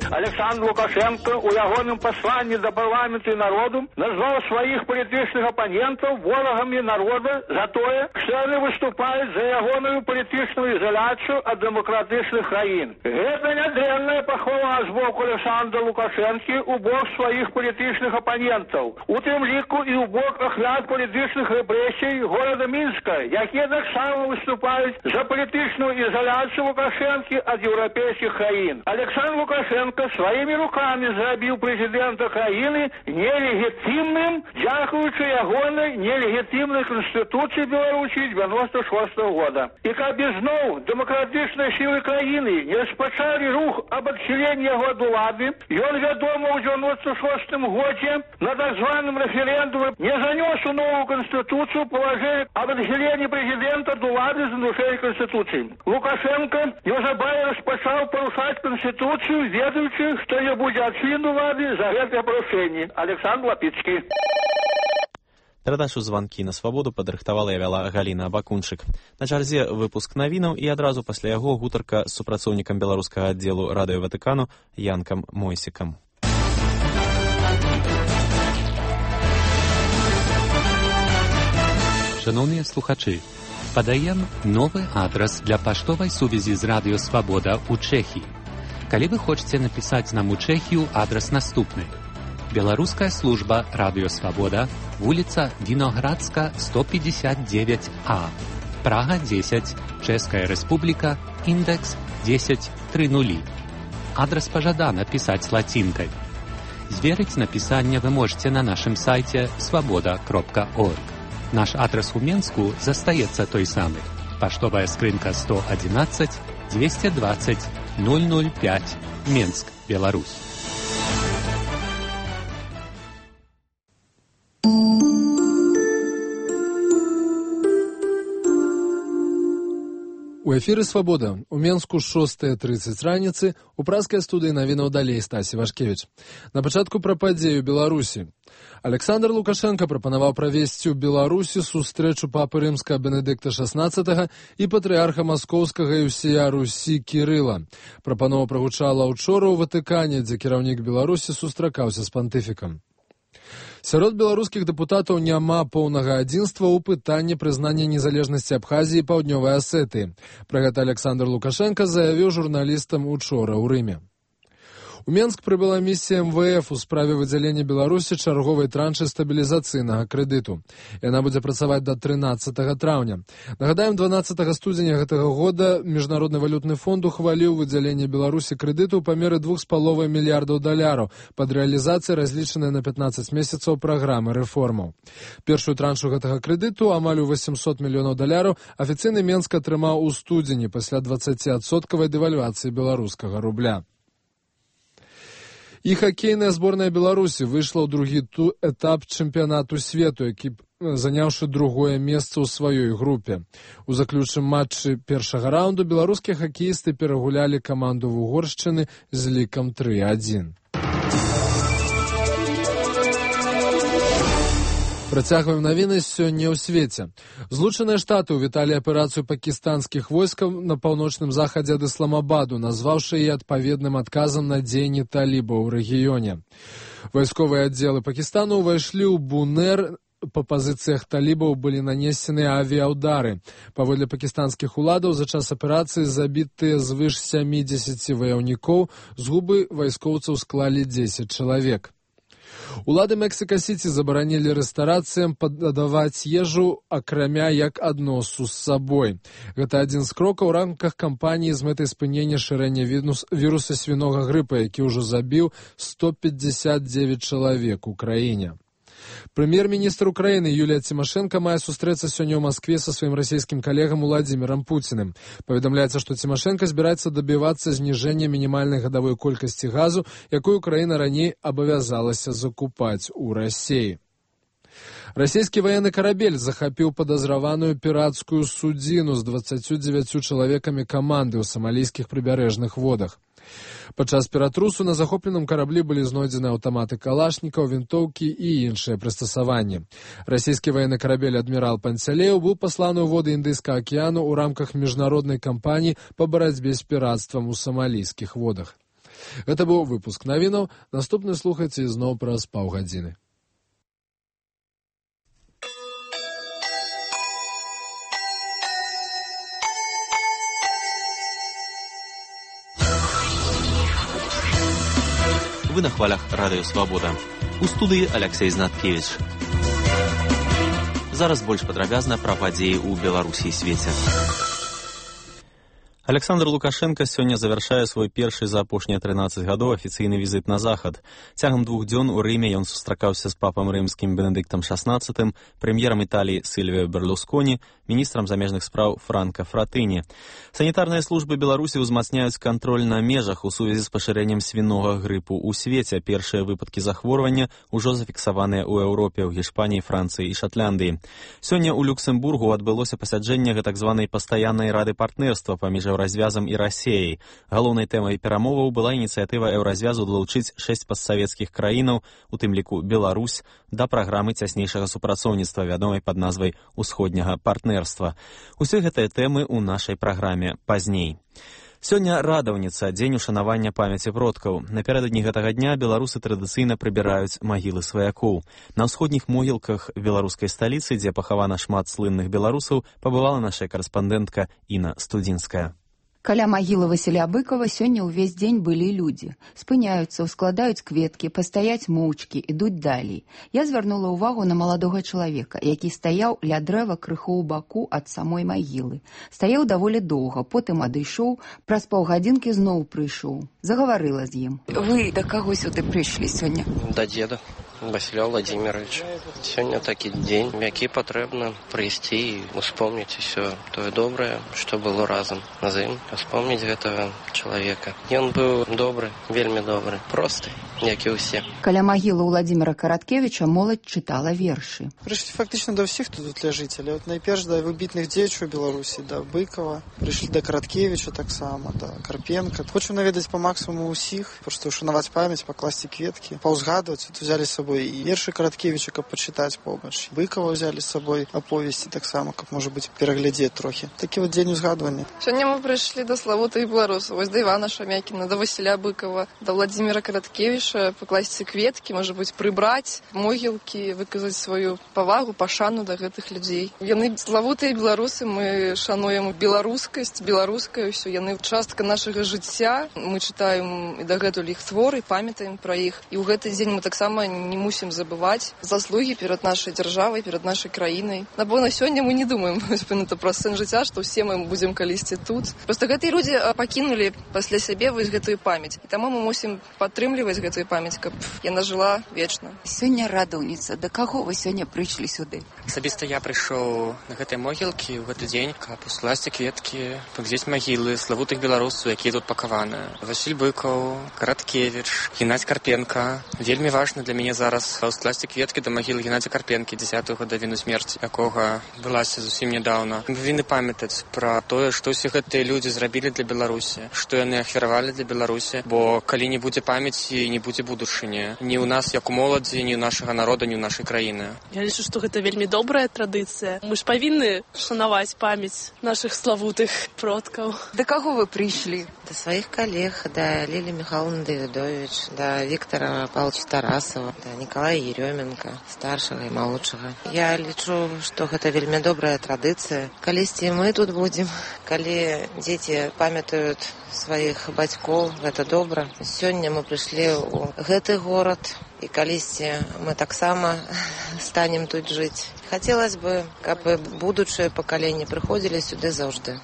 Александр Лукашенко у ягоным пасланні да парламенту і народу назваў сваіх палітычных апанентаў ворагамі народа за тое, што яны выступаюць за ягоную палітычную ізаляцыю ад дэмакратычных краін. Гэта нядрэнная пахвала з боку Александра Лукашэнкі у бок сваіх палітычных апанентаў, у тым ліку і ў бок ахвяр палітычных рэпрэсій горада Мінска, якія таксама выступаюць за палітычную ізаляцыю Лукашэнкі ад еўрапейскіх краін. Александр Лукашенко своими руками зрабіў прэзідэнта краіны нелегітимным, дзякуючы ягонай нелегітимнай Конституцыі Беларусі 96 года. І каб ізноў дэмакратычныя сілы краіны не распачалі рух об адхіленні яго ад улады, ён, вядома, у 96 годзе на так званым рэферэндуме не занёс у новую Конституцыю палажэнне об адхіленні прэзідэнта ад улады з нарушэннем Конституцыі. Лукашенко неўзабаве распачаў парушаць Конституцыю, ведаючы, што не будзе адчыну улады за гэтае парушэнне. Александр Лапіцкі. Перадачу «Званкі на свабоду» падрыхтавала і вяла Галіна Бакунчык. На чарзе выпуск навінаў і адразу пасля яго гутарка з супрацоўнікам беларускага аддзелу радыё Ватыкану Янкам Мойсікам. Шановныя слухачы, падаем новы адрас для паштовай сувязі з радыё «Свабода» ў Чэхіі. Калі вы хочаце напісаць нам у Чэхію, адрас наступны. Беларуская служба радыё «Свабода», вуліца Віноградска, 159А, Прага 10, Чэшская Рэспубліка, індекс 1030. Адрас пажадана пісаць лацінкай. Зверыць напісанне вы можете на нашым сайце свабода.орг. Наш адрес у Менску застаецца той самы. Паштовая скрынка 111 220 005, Менск, Беларусь. У эфіры «Свабода». У Менску 6:30 раніцы, у праскай студыі навінаў далей Стасі Вашкевіч. На пачатку пра падзею Беларусі. Александр Лукашенко прапанаваў правесці ў Беларусі сустрэчу папы рымскага Бенедыкта XVI і патрыарха маскоўскага і ўсея Русі Кірыла. Прапанова прагучала учора ў Ватыкане, дзе кіраўнік Беларусі сустракаўся з пантыфікам. Сярод беларускіх дэпутатаў няма поўнага адзінства ў пытанні прызнання незалежнасці Абхазіі і Паўднёвай Асетыі. Пра гэта Александр Лукашенко заявіў журналістам учора ў Рыме. У Менск прыбыла місія МВФ у справе выдзялення Беларусі чарговай траншы стабілізацыйнага крэдыту. Яна будзе працаваць да 13 траўня. Нагадаем, 12 студзеня гэтага года Міжнародны валютны фонд ухваліў выдзяленне Беларусі крэдыту ў памеры $2,5 мільярдаў пад рэалізацыяй разлічанай на 15 месяцаў праграмы рэформаў. Першую траншу гэтага крэдыту, амаль у $800 мільёнаў, афіцыйны Менск атрымаў у студзені пасля 20% дэвальвацыі беларускага рубля. І хакейная зборная Беларусі выйшла ў другі этап чэмпіянату свету, які заняўшы другое месца ў сваёй групе. У заключным матчы першага раунду беларускія хакеісты перагулялі каманду Вугоршчыны з лікам 3-1. Працягваем навіны сёння ў свеце. Злучаныя Штаты ўвіталі аперацыю пакістанскіх войскаў на паўночным захадзе ад Ісламабаду, назваўшы яе адпаведным адказам на дзеянні талібаў у рэгіёне. Вайсковыя аддзелы Пакістану ўвайшлі ў Бунер. Па пазіцыях талібаў былі нанесеныя авіяўдары. Паводле пакістанскіх уладаў за час аперацыі забітыя звыш 70 ваяўнікоў, згубы вайскоўцаў склалі 10 чалавек. Улады Мексіка-Сіці забаранілі рэстарацыям падаваць ежу, акрамя як адносу з сабой. Гэта адзін з крокаў у рамках кампаніі з мэтай спынення шырэння віруса свінога грыпа, які ўжо забіў 159 чалавек у краіне. Прэм'ер-міністр Украіны Юлія Цімашэнка мае сустрэцца сёння ў Маскве са сваім расійскім калегам Уладзімірам Пуціным. Паведамляецца, што Цімашэнка збіраецца дабівацца зніжэння мінімальнай гадавой колькасці газу, якую Украіна раней абавязалася закупаць у Расіі. Расійскі ваенны карабель захапіў падазраваную пірацкую судзіну з 29 чалавекамі каманды ў самалійскіх прыбярэжных водах. Падчас піратрусу на захопленым караблі былі знойдзены аўтаматы калашнікаў, вінтоўкі і іншыя прыстасаванні. Расійскі ваенны карабель «Адмірал Панцялеў» быў пасланы ў воды Індыйскага акіяну ў рамках міжнароднай кампаніі па барацьбе з пірацтвам у самалійскіх водах. Гэта быў выпуск навінаў. Наступны слухайце ізноў праз паўгадзіны. Вы на хвалях радыё «Свабода». У студыі Алексей Знаткевич. Зараз больш падрабязна пра падзеі ў Беларусі і свеце. Александр Лукашенко сёння завяршае свой першы за апошнія 13 гадоў афіцыйны візіт на захад. Цягам 2 дзён у Рыме ён сустракаўся з папам рымскім Бенедыктам XVI, прэм'ерам Італіі Сільвіё Берлусконі, міністрам замежных спраў Франка Фратыні. Санітарныя службы Беларусі ўзмацняюць кантроль на межах у сувязі з пашырэннем свінога грыпу ў свеце. Першыя выпадкі захворвання ўжо зафіксаваныя ў Еўропе, ў Гішпаніі, Францыі і Шатландыі. Сёння ў Люксембургу адбылося пасяджэнне гэтак званай пастаяннай рады партнерства паміж еўразвязам і Расіяй. Галоўнай тэмай перамоваў была ініцыятыва еўразвязу далучыць 6 постсавецкіх краінаў, у тым ліку Беларусь, да праграмы цяснейшага супрацоўніцтва, вядомай пад назвай «Усходняга партнерства». Усе гэтыя тэмы ў нашай праграме пазней. Сёння радаўніца, дзень ушанавання памяці продкаў. Напярэдадні гэтага дня беларусы традыцыйна прыбіраюць магілы сваякоў. На ўсходніх могілках беларускай сталіцы, дзе пахавана шмат слынных беларусаў, пабывала наша карэспандэнтка Інна Студзінская. Каля магілы Васіля Быкова сёння ўвесь дзень былі людзі. Спыняюцца, ускладаюць кветкі, пастаяць моўчкі, ідуць далей. Я звярнула ўвагу на маладога чалавека, які стаяў ля дрэва крыху ў баку ад самой магілы. Стаяў даволі доўга, потым адышоў, праз паўгадзінкі зноў прыйшоў. Загаварыла з ім. Вы да каго сюды прыйшлі сёння? Да деда. Васіля Владимировича. Сёння такі дзень, які патрэбна прыйсці і успомніць усё тое добрае, што было разам з ім, успомніць гэтага чалавека. Ён быў добры, вельмі добры, просты, як і ўсе. Каля магілы Владимира Караткевича моладзь чытала вершы. Прыйшлі фактычна да ўсіх тут ляжыць, але найперш да выбітных дзеячаў Беларусі, да Быкова, прыйшлі да Караткевича таксама, да Карпенка. Хочу наведаць па максимуму ўсіх, проста ушанаваць памяць, пакласці кветкі, паўзгадваць, тут узялі з собой і вершы Караткевича, каб пачытаць побач. Быкова ўзялі з сабой аповесці таксама, каб, можа быць, пераглядзець трохі. Такі вот дзень узгадвання. Сёння мы прыйшлі да славутых беларусаў, вось да Івана Шамякіна, да Васіля Быкова, да Владимира Караткевича, пакласці кветкі, можа быць, прыбраць могілкі, выказаць сваю павагу, пашану да гэтых людзей. Яны славутыя беларусы, мы шануем беларускасць, беларускае ўсё, яны частка нашага жыцця. Мы чытаем і дагэтуль іх творы, памятаем пра іх. І ў гэты дзень мы таксама не мусім забываць заслугі перад нашай дзяржавай, перад нашай краінай. Напэўна, сёння мы не думаем пра сэн жыцця, што ўсе мы будзем калісьці тут. Проста гэтыя людзі пакінулі пасля сябе вось гэтую памяць. І таму мы мусім падтрымліваць гэтую памяць, каб яна жыла вечна. Сёння радаўніца. Да каго вы сёння прыйшлі сюды? Асабіста я прыйшоў на гэтай могілкі ў гэты дзень, каб ускласці кветкі, паглядзець магілы славутых беларусаў, якія тут пакаваны. Васіль Быкаў, Караткевич, Геннадзь Карпенка. Вельмі важна для мяне зараз ускласці кветкі да магілы Геннадзя Карпенкі, 10-й гадавіну смерці, якога былася зусім нядаўна. Мы павінны памятаць пра тое, што ўсе гэтыя людзі зрабілі для Беларусі, што яны ахвяравалі для Беларусі, бо калі не будзе памяці, не будзе будучыні. Ні ў нас, як у моладзі, ні ў нашага народа, ні ў нашай краіны. Я лічу, што гэта вельмі добрая традыцыя. Мы ж павінны шанаваць памяць нашых славутых продкаў. Да каго вы прыйшлі? Да сваіх калег, да Лілі Михайловны Давідович, да Віктора Павловича Тарасова, да Николая Еременко, старшага і малодшага. Я лічу, што гэта вельмі добрая традыцыя. Калісьці мы тут будзем, калі дзеці памятаюць сваіх бацькоў, гэта добра. Сёння мы прыйшлі ў гэты горад, і калісьці мы таксама станем тут жыць. Хацелось бы, каб будучыя пакаленні прыходзілі сюды заўжды.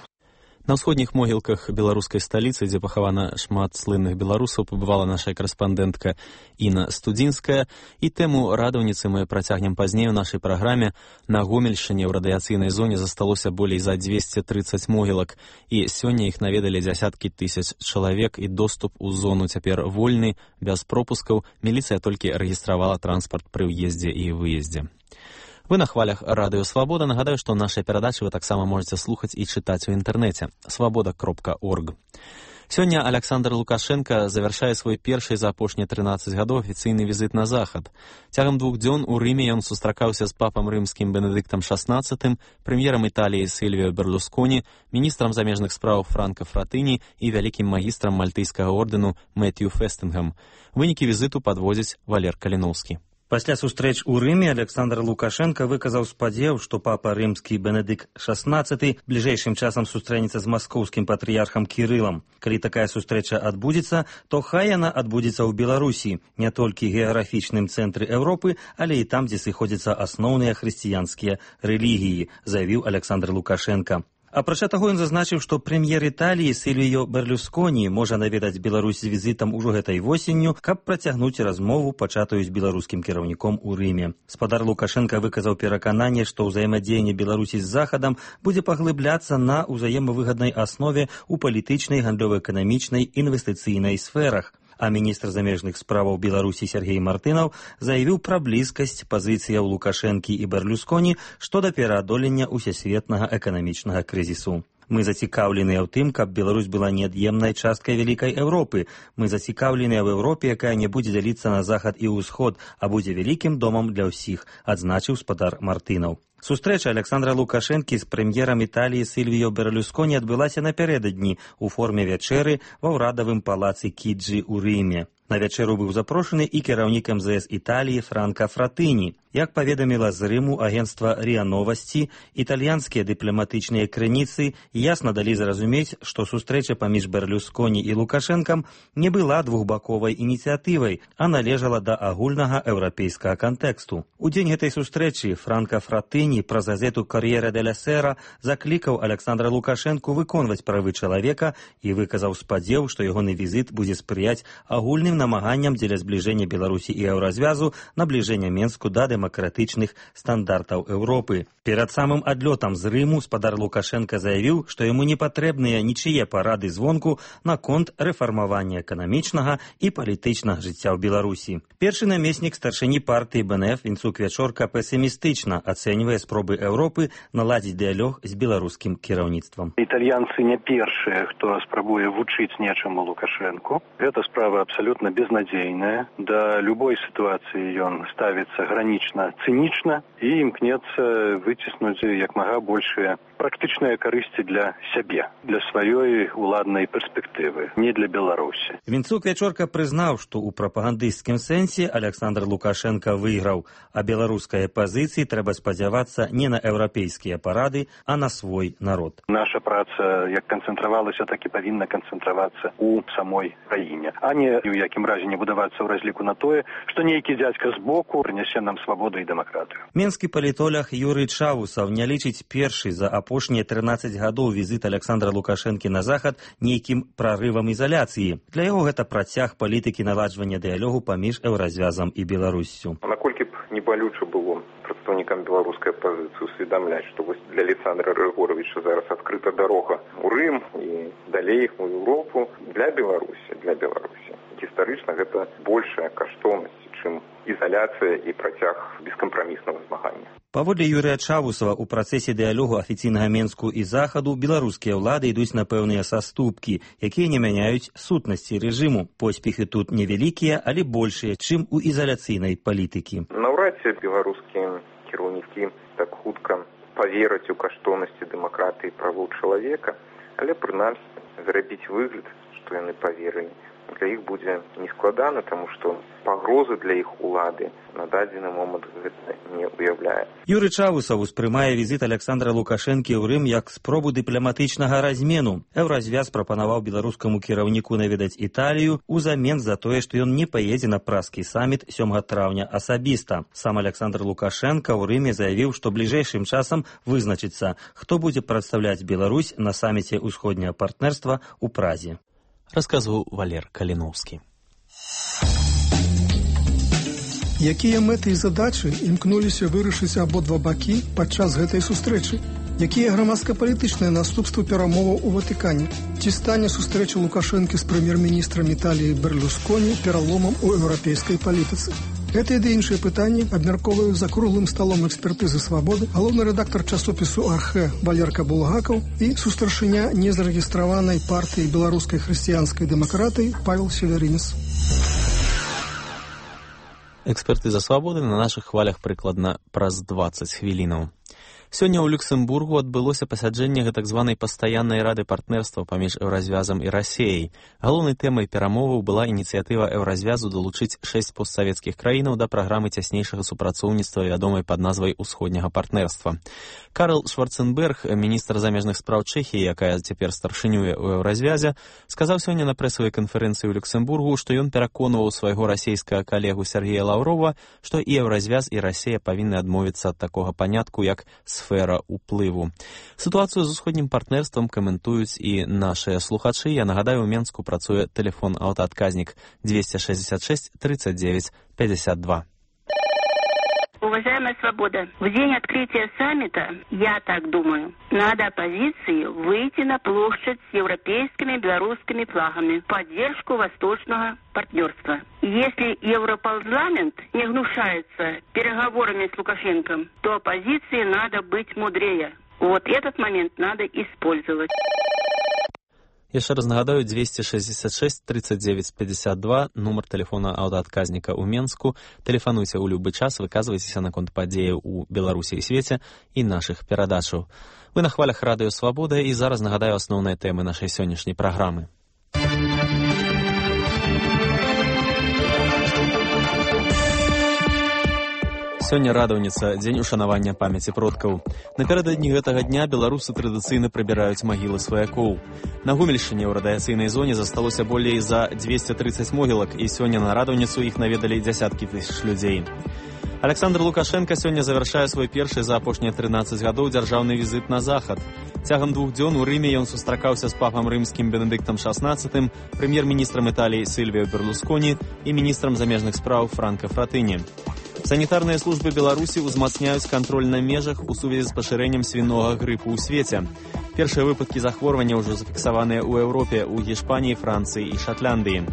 На ўсходніх могілках беларускай сталіцы, дзе пахавана шмат слынных беларусаў, пабывала наша карэспандэнтка Інна Студзінская. І тэму радаўніцы мы працягнем пазней у нашай праграме. На Гомельшчыне ў радыяцыйнай зоне засталося болей за 230 могілак. І сёння іх наведалі дзясяткі тысяч чалавек, і доступ у зону цяпер вольны, без пропускаў. Міліцыя толькі рэгістравала транспарт пры ўездзе і выездзе. Вы на хвалях Радыё Свабода. Нагадаю, што нашай перадачы вы таксама можаце слухаць і чытаць у інтэрнэце свабода.орг. Сёння Александр Лукашенко завяршае свой першы за апошнія 13 гадоў афіцыйны візіт на захад. Цягам 2 дзён у Рыме ён сустракаўся з папам рымскім Бенедыктам XVI, прэм'ерам Італіі Сільвіо Берлусконі, міністрам замежных спраў Франка Фратыні і вялікім магістрам мальтыйскага ордэну Мэтью Фестынгам. Вынікі візіту падводзіць Валер Каліноўскі. Пасля сустрэч у Рыме Александр Лукашенко выказаў спадзеў, што папа рымскі Бенедыкт XVI бліжэйшым часам сустрэнецца з маскоўскім патрыярхам Кірылам. Калі такая сустрэча адбудзецца, то хай яна адбудзецца ў Беларусі, не толькі геаграфічным цэнтры Еўропы, але і там, дзе сыходзяцца асноўныя хрысціянскія рэлігіі, заявіў Александр Лукашенко. Апрача таго, ён зазначыў, што прэм'ер Італіі Сільвіо Берлусконі можа наведаць Беларусь з візітам ужо гэтай восенню, каб працягнуць размову, пачатую з беларускім кіраўніком у Рыме. Спадар Лукашенка выказаў перакананне, што ўзаемадзеянне Беларусі з Захадам будзе паглыбляцца на ўзаемавыгаднай аснове ў палітычнай, гандлёва-эканамічнай, інвестыцыйнай сферах. А міністр замежных справаў Беларусі Сергей Мартынаў заявіў пра блізкасць пазіцыяў Лукашэнкі і Берлусконі што да пераадолення усесветнага эканамічнага крызісу. Мы зацікаўленыя ў тым, каб Беларусь была неад'емнай часткай вялікай Еўропы. Мы зацікаўленыя ў Еўропе, якая не будзе дзяліцца на захад і ўсход, а будзе вялікім домам для ўсіх, адзначыў спадар Мартынаў. Сустрэча Александра Лукашэнкі з прэм'ерам Італіі Сільвіё Берлусконі адбылася напярэдадні ў форме вячэры ва ўрадавым палацы Кіджі ў Рыме. На вячэру быў запрошаны і кіраўнік МЗС Італіі Франка Фратыні. Як паведаміла з Рыму агенцтва РИА Новасці, італьянскія дыпламатычныя крыніцы ясна далі зразумець, што сустрэча паміж Берлусконі і Лукашэнкам не была двухбаковай ініцыятывай, а належала да агульнага еўрапейскага кантэксту. У дзень гэтай сустрэчы Франка Фратыні праз газету «Кор'єре деля Сера» заклікаў Александра Лукашэнку выконваць правы чалавека і выказаў спадзеў, што ягоны візіт будзе спрыяць агульным намаганням дзеля збліжэння Беларусі і еўразвязу, набліжэння Менску да дэмакратычных стандартаў Еўропы. Перад самым адлётам з Рыму спадар Лукашэнка заявіў, што яму не патрэбныя нічые парады звонку наконт рэфармавання эканамічнага і палітычнага жыцця ў Беларусі. Першы намеснік старшыні партыі БНФ Вінцук Вячорка песімістычна ацэньвае спробы Еўропы наладзіць дыялог з беларускім кіраўніцтвам. Італьянцы не першыя, хто спрабуе вучыць нечаму Лукашэнку. Гэта справа абсалютна безнадзейная. Да любой сітуацыі ён ставіцца гранічна цынічна і імкнецца выціснуць як мага большыя практычныя карысці для сябе, для сваёй уладнай перспектывы, не для Беларусі. Вінцук Вячорка прызнаў, што ў прапагандысцкім сэнсе Александр Лукашенко выйграў, а беларускай пазіцыі трэба спадзявацца не на еўрапейскія парады, а на свой народ. Наша праца як канцэнтравалася, так і павінна канцэнтравацца ў самой краіне, а не ў якім разе не будавацца ў разліку на тое, што нейкі дзядзька збоку прынясе нам свабоду і дэмакратыю. Менскі палітолог Юрый Чавусаў не лічыць першы за апошнія 13 гадоў візіт Александра Лукашэнкі на захад нейкім прарывам ізаляцыі. Для яго гэта працяг палітыкі наладжвання дыялогу паміж еўразвязам і Беларуссю. Наколькі б не балюча было прадстаўнікам беларускай апазіцыі усведамляць, што вось для Александра Григоровича зараз адкрыта дарога ў Рым і далей у Еўропу для Беларусі. Гістарычна гэта большая каштоўнасць, чым ізаляцыя і працяг бескампраміснага змагання. Паводле Юрыя Чавусава, у працэсе дыялогу афіцыйнага Менску і Захаду беларускія ўлады ідуць на пэўныя саступкі, якія не мяняюць сутнасці рэжыму. Поспехі тут невялікія, але большыя, чым у ізаляцыйнай палітыкі. Наўрад ці беларускія кіраўнікі так хутка павераць у каштоўнасці дэмакратыі і правоў чалавека, але прынамсі зрабіць выгляд, што яны паверылі. Для іх будзе нескладана, таму што пагрозы для іх улады на дадзены момант гэта не уяўляе. Юрый Чавусаў успрымае візіт Александра Лукашэнкі ў Рым як спробу дыпламатычнага размену. Еўразвяз прапанаваў беларускаму кіраўніку наведаць Італію узамен за тое, што ён не паедзе на празкі саміт 7 траўня асабіста. Сам Александр Лукашэнка ў Рыме заявіў, што бліжэйшым часам вызначыцца, хто будзе прадстаўляць Беларусь на саміце ўсходняга партнерства ў Празе. Расказваў Валер Каліноўскі. Якія мэты і задачы імкнуліся вырашыць абодва бакі падчас гэтай сустрэчы? Якія грамадска-палітычныя наступствы перамоваў у Ватыкане? Ці стане сустрэча Лукашэнкі з прэм'ер-міністрам Італіі Берлусконі пераломам у еўрапейскай палітыцы? Гэтыя ды іншыя пытанні абмяркоўваюць за круглым сталом экспертызы «Свабоды» галоўны рэдактар часопісу «Архэ» Валерка Булгакаў і сустаршыня незарэгістраванай партыі беларускай хрысціянскай дэмакратыі Павел Северінец. Экспертыза «Свабоды» на нашых хвалях прыкладна праз 20 хвілінаў. Сёння ў Люксембургу адбылося пасяджэнне гэтак званай пастаяннай рады партнерства паміж еўразвязам і Расіяй. Галоўнай тэмай перамоваў была ініцыятыва еўразвязу далучыць 6 постсавецкіх краінаў да праграмы цяснейшага супрацоўніцтва, вядомай пад назвай усходняга партнерства. Карл Шварценберг, міністр замежных спраў Чэхіі, якая цяпер старшынюе ў еўразвязе, сказаў сёння на прэсавай канферэнцыі ў Люксембургу, што ён пераконваў свайго расійскага калегу Сергея Лаўрова, што і еўразвяз, і Расія павінны адмовіцца ад такога панятку, як сфера ўплыву. Сітуацыю з усходнім партнерствам каментуюць і нашыя слухачы. Я нагадаю, у Менску працуе тэлефон аўтаадказнік 266 39 52. Уважаемая «Свобода», в день открытия саммита, я так думаю, надо оппозиции выйти на площадь с европейскими белорусскими флагами в поддержку восточного партнерства. Если Европарламент не гнушается переговорами с Лукашенко, то оппозиции надо быть мудрее. Вот этот момент надо использовать. Яшчэ раз нагадаю, 266 39 52, нумар тэлефона аўтаадказніка ў Менску. Тэлефануйце ў любы час, выказвайцеся наконт падзеяў у Беларусі і свеце і нашых перадачаў. Вы на хвалях радыё Свабода, і зараз нагадаю асноўныя тэмы нашай сённяшняй праграмы. Сёння радаўніца, дзень ушанавання памяці продкаў. Напярэдадні гэтага дня беларусы традыцыйна прыбіраюць магілы сваякоў. На Гомельшчыне ў радыяцыйнай зоне засталося болей за 230 могілак, і сёння на радаўніцу іх наведалі дзясяткі тысяч людзей. Александр Лукашенко сёння завяршае свой першы за апошнія 13 гадоў дзяржаўны візіт на захад. Цягам 2 дзён у Рыме ён сустракаўся з папам рымскім Бенедыктам XVI, прэм'ер-міністрам Італіі Сильвіо Берлусконі і міністрам замежных спраў Франко Фратыні. Санітарныя службы Беларусі ўзмацняюць кантроль на межах у сувязі з пашырэннем свінога грыпу ў свеце. Першыя выпадкі захворвання ўжо зафіксаваныя ў Еўропе, у Гішпаніі, Францыі і Шатландыі.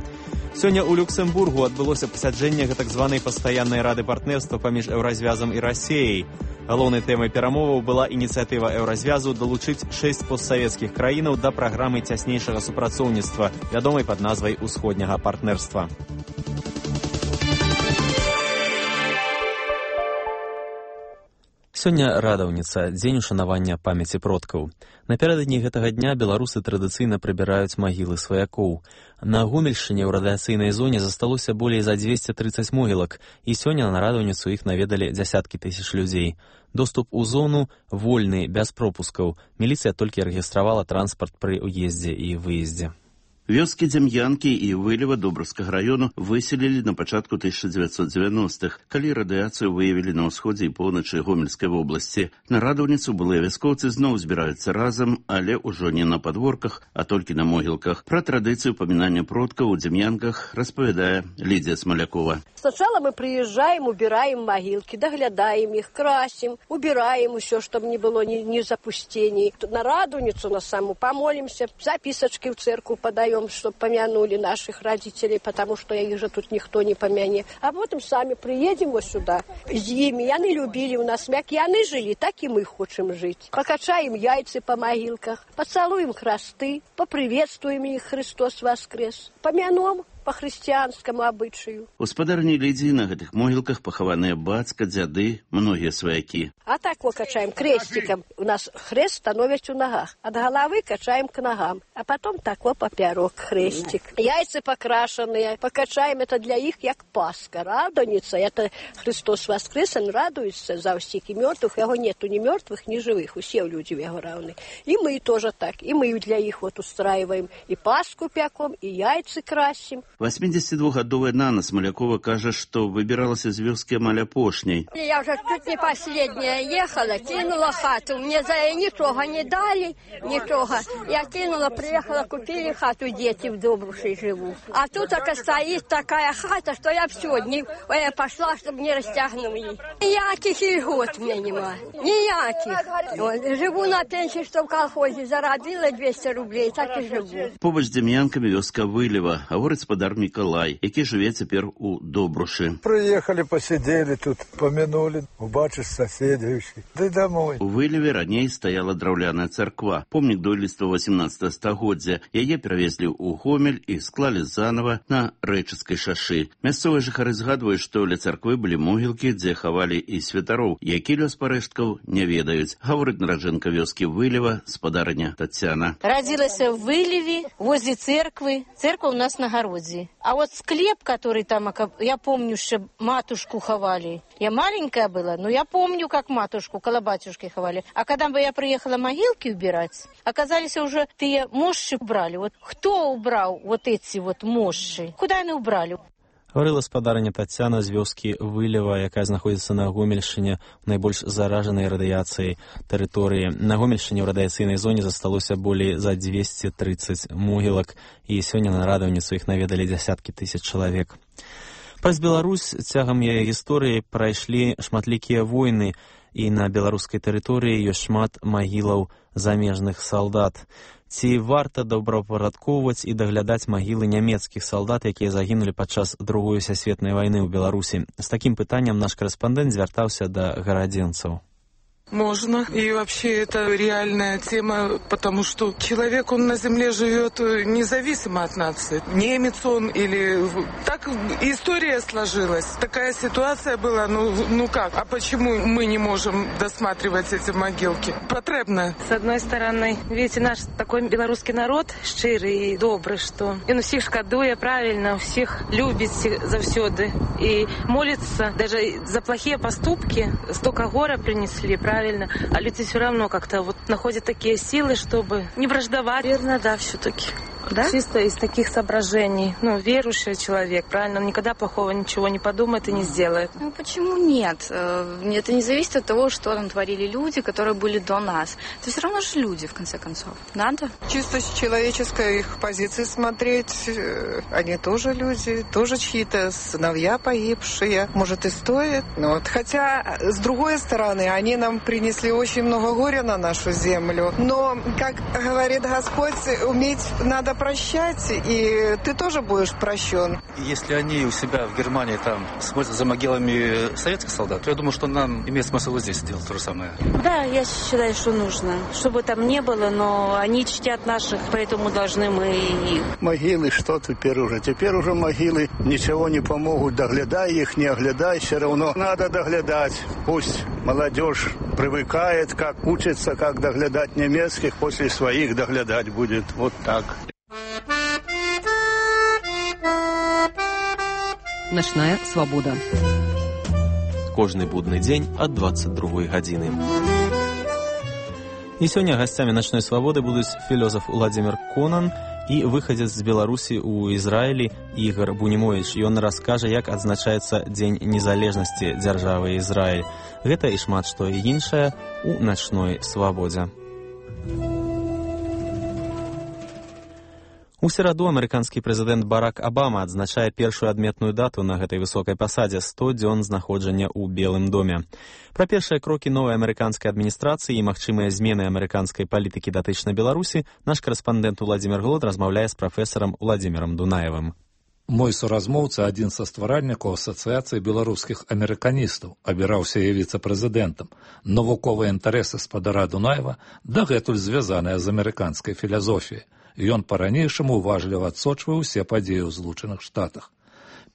Сёння ў Люксембургу адбылося пасяджэнне так званай пастаяннай рады партнерства паміж Еўразвязам і Расіяй. Галоўнай тэмай перамоваў была ініцыятыва Еўразвязу далучыць 6 постсавецкіх краінаў да праграмы цяснейшага супрацоўніцтва, вядомай пад назвай усходняга партнерства. Сёння радаўніца, дзень ушанавання памяці продкаў. Напярэдадні гэтага дня беларусы традыцыйна прыбіраюць магілы сваякоў. На Гомельшчыне ў радыяцыйнай зоне засталося болей за 230 могілак, і сёння на радаўніцу іх наведалі дзясяткі тысяч людзей. Доступ у зону вольны, без пропускаў. Міліцыя толькі рэгістравала транспарт пры ўездзе і выездзе. Вёскі Дзем'янкі і Вылева Добрскага раёну выселілі на пачатку 1990-х, калі радыяцыю выявілі на ўсходзе і поўначы Гомельскай вобласці. На радаўніцу былыя вяскоўцы зноў збіраюцца разам, але ўжо не на падворках, а толькі на могілках. Пра традыцыю памінання продкаў у Дзем'янках распавядае Лідзія Смалякова. Сначала мы приезжаем, убираем могилки, доглядаем их, красим, убираем все, чтобы не было ни запустений. На радуницу на саму помолимся, записочки в церковь подаем, чтобы помянули наших родителей, потому что их же тут никто не помянет. А потом сами приедем вот сюда. С ними, яны любили у нас мяк, яны жили, так и мы хотим жить. Покачаем яйца по могилках, поцелуем хресты, поприветствуем их, Христос воскрес, помянем по хрысціянскаму абычаю. Гаспадарні Лідзі, на гэтых могілках пахаваныя бацька, дзяды, многія сваякі. А так вот качаем крестиком. У нас хрест становясь у ногах. От головы качаем к ногам. А потом так вот поперек крестик. Яйца покрашенные. Покачаем это для их, як Пасха. Радоница. Это Христос воскрес, он радуется за всех и мертвых. Его нету ни мертвых, ни живых. Все люди его равны. И мы тоже так. И мы для их вот устраиваем. И Пасху пяком, и яйца красим. 82-гадовая Нана Смалякова кажа, што выбіралася з вёскі амаль апошняй. Я уже тут не последняя ехала, кинула хату. Мне за ничего не дали, ничего. Я кинула, приехала, купили хату, дети в Добрушей живут. А тут так стоит такая хата, что я все, я пошла, чтобы не растягнули. Никаких льгот мне нема. Никаких. Вот, живу на пенсии, что в колхозе заробила 200 рублей, так и живу. Побач з Дзем'янкамі вёска Вылева, гаворыць спадар Мікалай, які жыве цяпер у Добрушы. Прыехалі, пасядзелі тут, памянулі, убачыш соседей, ды домой. У Вылеве раней стаяла драўляная царква, помнік дойлідства 18 стагоддзя. Яе перавезлі ў Гомель і склалі занава на Рэчыцкай шашы. Мясцовыя жыхары згадваюць, што ля царквы былі могілкі, дзе хавалі і святароў, які лёс парэшткаў не ведаюць. Гаворыць нараджэнка вёскі Вылева, спадарыня Тацяна. Родилась в Вылеве, возле церквы. Церковь у нас на огороде. А вот склеп, который там, я помню, что матушку ховали. Я маленькая была, но я помню, как матушку, около батюшки ховали. А когда бы я приехала могилки убирать, оказались уже те мощи убрали. Вот кто убрал вот эти вот мощи? Куда они убрали? Гаварыла спадарыня Тацяна з вёскі Вылева, якая знаходзіцца на Гомельшчыне, найбольш заражанай радыяцыяй тэрыторыі. На Гомельшчыне ў радыяцыйнай зоне засталося болей за 230 могілак, і сёння на радаўніцу іх наведалі дзясяткі тысяч чалавек. Праз Беларусь цягам яе гісторыі прайшлі шматлікія войны, і на беларускай тэрыторыі ёсць шмат магілаў замежных салдат. Ці варта добраўпарадкоўваць і даглядаць магілы нямецкіх салдат, якія загінулі падчас Другой сусветнай вайны ў Беларусі? З такім пытаннем наш карэспандэнт звяртаўся да гарадзенцаў. Можно. И вообще это реальная тема, потому что человек, он на земле живет независимо от нации. Немец он или... Так история сложилась. Такая ситуация была, ну как? А почему мы не можем досматривать эти могилки? Потребно. С одной стороны, видите, наш такой белорусский народ щирый и добрый, что он всех шкодует, правильно, всех любит завсёды и молится. Даже за плохие поступки столько горя принесли, правильно? А люди все равно как-то вот находят такие силы, чтобы не враждовать. Верно, да, все-таки. Да? Чисто из таких соображений. Верующий человек, правильно, он никогда плохого ничего не подумает и не сделает. Почему нет? Это не зависит от того, что там творили люди, которые были до нас. Это все равно же люди, в конце концов. Надо? Чисто с человеческой их позиции смотреть. Они тоже люди, тоже чьи-то сыновья погибшие. Может, и стоит. Хотя, с другой стороны, они нам принесли очень много горя на нашу землю. Но, как говорит Господь, уметь надо прощать, и ты тоже будешь прощен. Если они у себя в Германии там смотрят за могилами советских солдат, то я думаю, что нам имеет смысл и здесь сделать то же самое. Да, я считаю, что нужно. Чтобы там не было, но они чтят наших, поэтому должны мы их. Могилы, что теперь уже? Теперь уже могилы ничего не помогут. Доглядай их, не оглядай, все равно надо доглядать. Пусть молодежь привыкает, как учится, как доглядать немецких, после своих доглядать будет. Вот так. Начная свабода. Кожны будны дзень ад 22 гадзіны. І сёння гасцямі начной свабоды будуць філёзаф Уладзімір Конан і выхадзец з Беларусі ў Ізраілі Ігар Бунімовіч. Ён раскажа, як адзначаецца Дзень незалежнасці дзяржавы Ізраіль. Гэта і шмат што іншае у начной свабодзе. У сераду амерыканскі прэзідэнт Барак Абама адзначае першую адметную дату на гэтай высокай пасадзе — 100 дзён знаходжання ў Белым доме. Пра першыя крокі новай амерыканскай адміністрацыі і магчымыя змены амерыканскай палітыкі датычна Беларусі наш карэспандэнт Уладзімір Глод размаўляе з прафесарам Уладзімірам Дунаевым. Мой суразмоўца, адзін са стваральнікаў асацыяцыі беларускіх амерыканістаў, абіраўся і віцэ-прэзідэнтам. Навуковыя інтарэсы спадара Дунаева дагэтуль звязаныя з амерыканскай філазофіяй. Ён па-ранейшаму уважліва адсочвае ўсе падзеі ў Злучаных Штатах.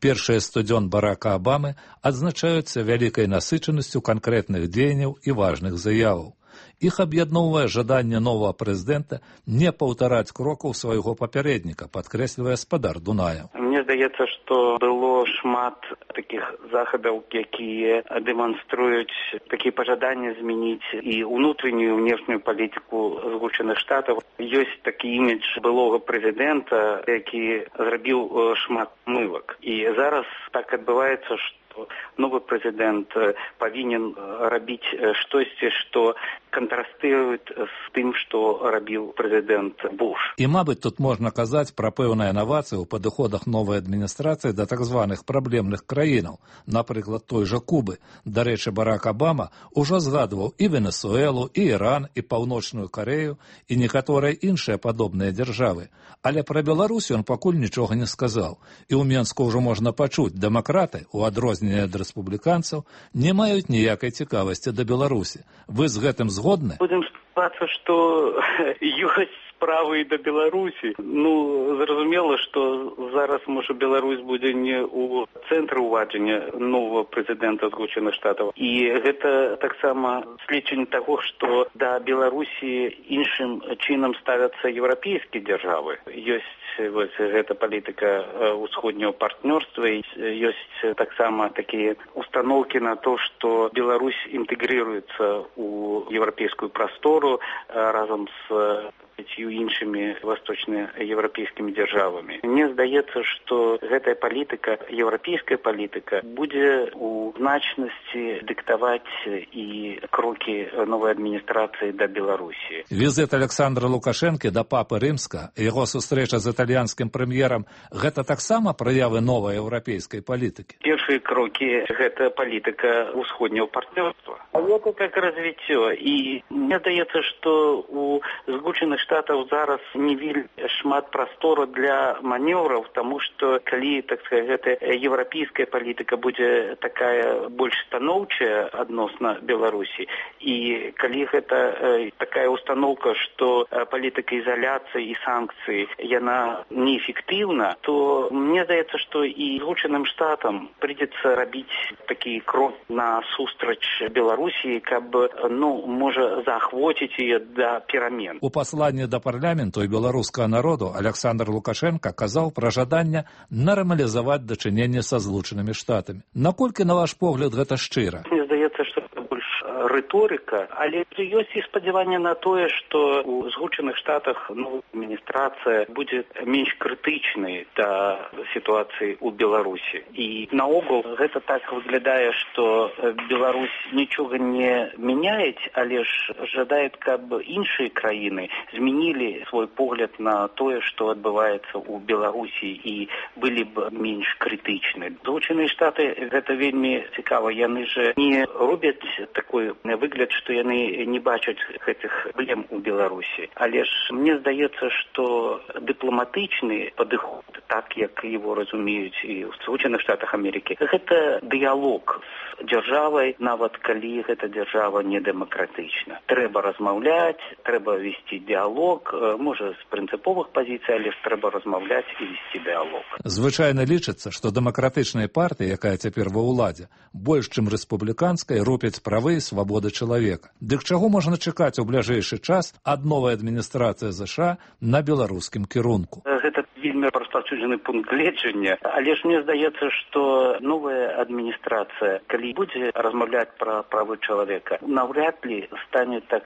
Першыя 100 дзён Барака Абамы адзначаюцца вялікай насычанасцю канкрэтных дзеянняў і важных заяваў. Іх аб'ядноўвае жаданне новага прэзідэнта не паўтараць крокаў свайго папярэдніка, падкрэслівае спадар Дунаев. Мне здаецца, што было шмат такіх захадаў, якія дэманструюць такія пажаданні змяніць і ўнутраннюю, внешнюю палітыку Злучаных Штатаў. Ёсць такі імідж былога прэзідэнта, які зрабіў шмат мывак. І зараз так адбываецца, што новы прэзідэнт павінен рабіць штосьці, што кантрастуюць з тым, што рабіў прэзідэнт Буш. І, мабыць, тут можна казаць пра пэўныя інавацыі ў падыходах новай адміністрацыі да так званых праблемных краінаў, напрыклад, той жа Кубы. Дарэчы, Барак Абама ўжо згадваў і Венесуэлу, і Іран, і Паўночную Карею, і некаторыя іншыя падобныя дзяржавы. Але пра Беларусь ён пакуль нічога не сказаў. І ў Менску ўжо можна пачуць, дэмакраты, у адрозненне ад рэспубліканцаў, не маюць ніякай цікавасці да Беларусі. Вы з гэтым згодны? Будем спадзявацца, што ёсць справы і да Беларусі. Зразумела, што зараз, можа, Беларусь будзе не ў цэнтры ўваджання новага прэзідэнта Злучаных Штатаў. І гэта таксама сведчанне таго, што да Беларусі іншым чынам ставяцца еўрапейскія дзяржавы. Ёсць гэта палітыка ўсходняга партнёрства, ёсць таксама такія установкі на то, што Беларусь інтэгрыруецца ў еўрапейскую прастору разам з іншымі восточнаеўрапейскімі дзяржавамі. Мне здаецца, што гэтая палітыка, еўрапейская палітыка, будзе у значнасці дыктаваць і крокі новай адміністрацыі да Беларусі. Візит Александра Лукашэнкі да папы Рымска, яго сустрэча з італьянскім прэм'ерам — гэта таксама праявы новай еўрапейскай палітыкі? Перш першыя крокі гэта палітыка ўсходняго партнёрства. Это как развіццё. І мне здаецца, што у Злучаных Штатаў зараз не вельмі шмат прастору для манеўраў, таму што калі, так сказать, гэта еўрапейская палітыка будзе такая больш станоўчая адносна Беларусі, і калі гэта такая установка, што палітыка ізаляцыі і санкцыі яна неэфектыўна, то мне здаецца, што і Злучаным Штатам прыйдзецца рабіць такі крок на сустрач Беларусі, каб, можа, заахвоціць яе да перамен. У пасланні да парламенту і беларускага народу Александр Лукашенко казаў пра жаданне нармалізаваць дачыненне са Злучанымі Штатамі. Наколькі, на ваш погляд, гэта шчыра? Мне здаецца, што гэта больш рыторыка, але ёсць і спадзяванне на тое, што у Злучаных Штатах адміністрацыя будзе менш крытычнай да сітуацыі ў Беларусі. І наогул гэта так выглядае, што Беларусь нічога не мяняет, але ж жадае, каб іншыя краіны змянілі свой погляд на тое, што адбываецца ў Беларусі, і былі б менш крытычны. Злучаныя Штаты гэта вельмі цікава. Яны ж не робяць такой выгляд, што яны не бачаць гэтых праблем у Беларусі. Але ж мне здаецца, што дыпламатычны падыход, так як его разумеюць і ў Злучаных Штатах Амерыкі, гэта дыялог з дзяржавай, нават калі гэта дзяржава не дэмакратычна. Трэба размаўляць, трэба весці дыялог, можа з прынцыповых пазіцый, але ж трэба размаўляць і весці дыялог. Звычайна лічыцца, што дэмакратычная партыя, якая цяпер ва ўладзе, больш чым рэспубліканская, ропяць правы і свабоды чалавека. Дык чаго можна чакаць у бліжэйшы час ад новай адміністрацыі ЗША на беларускім кірунку? Гэта вельмі распаўсюджаны пункт гледжання, але ж мне здаецца, што новая адміністрацыя, калі будзе размаўляць пра правы чалавека, наўряд ли стане так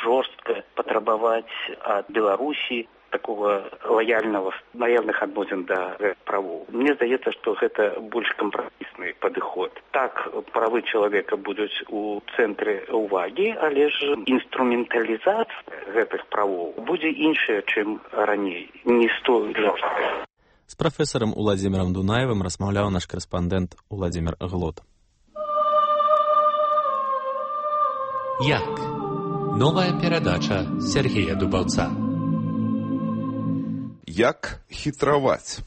жорстка патрабаваць ад Беларусі такого лояльных адносін да правоў. Мне здаецца, што гэта больш кампрамісны падыход. Так, правы чалавека будуць у цэнтры ўвагі, але ж інструменталізацыя гэтых правоў будзе іншая, чым раней. Не столь жорсткая. З прафесарам Уладзімірам Дунаевым размаўляў наш корэспандэнт Уладзімір Глот. Як? Новая перадача Сергея Дубаўца. Як хітраваць?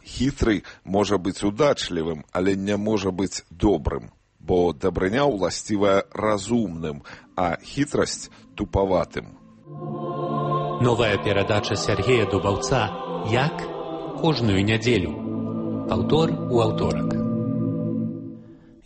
Хітры можа быць удачлівым, але не можа быць добрым, бо дабрыня ўласцівая разумным, а хітрасць тупаватым. Новая перадача Сергея Дубаўца «Як?» кожную нядзелю. Паўтор у аўторак.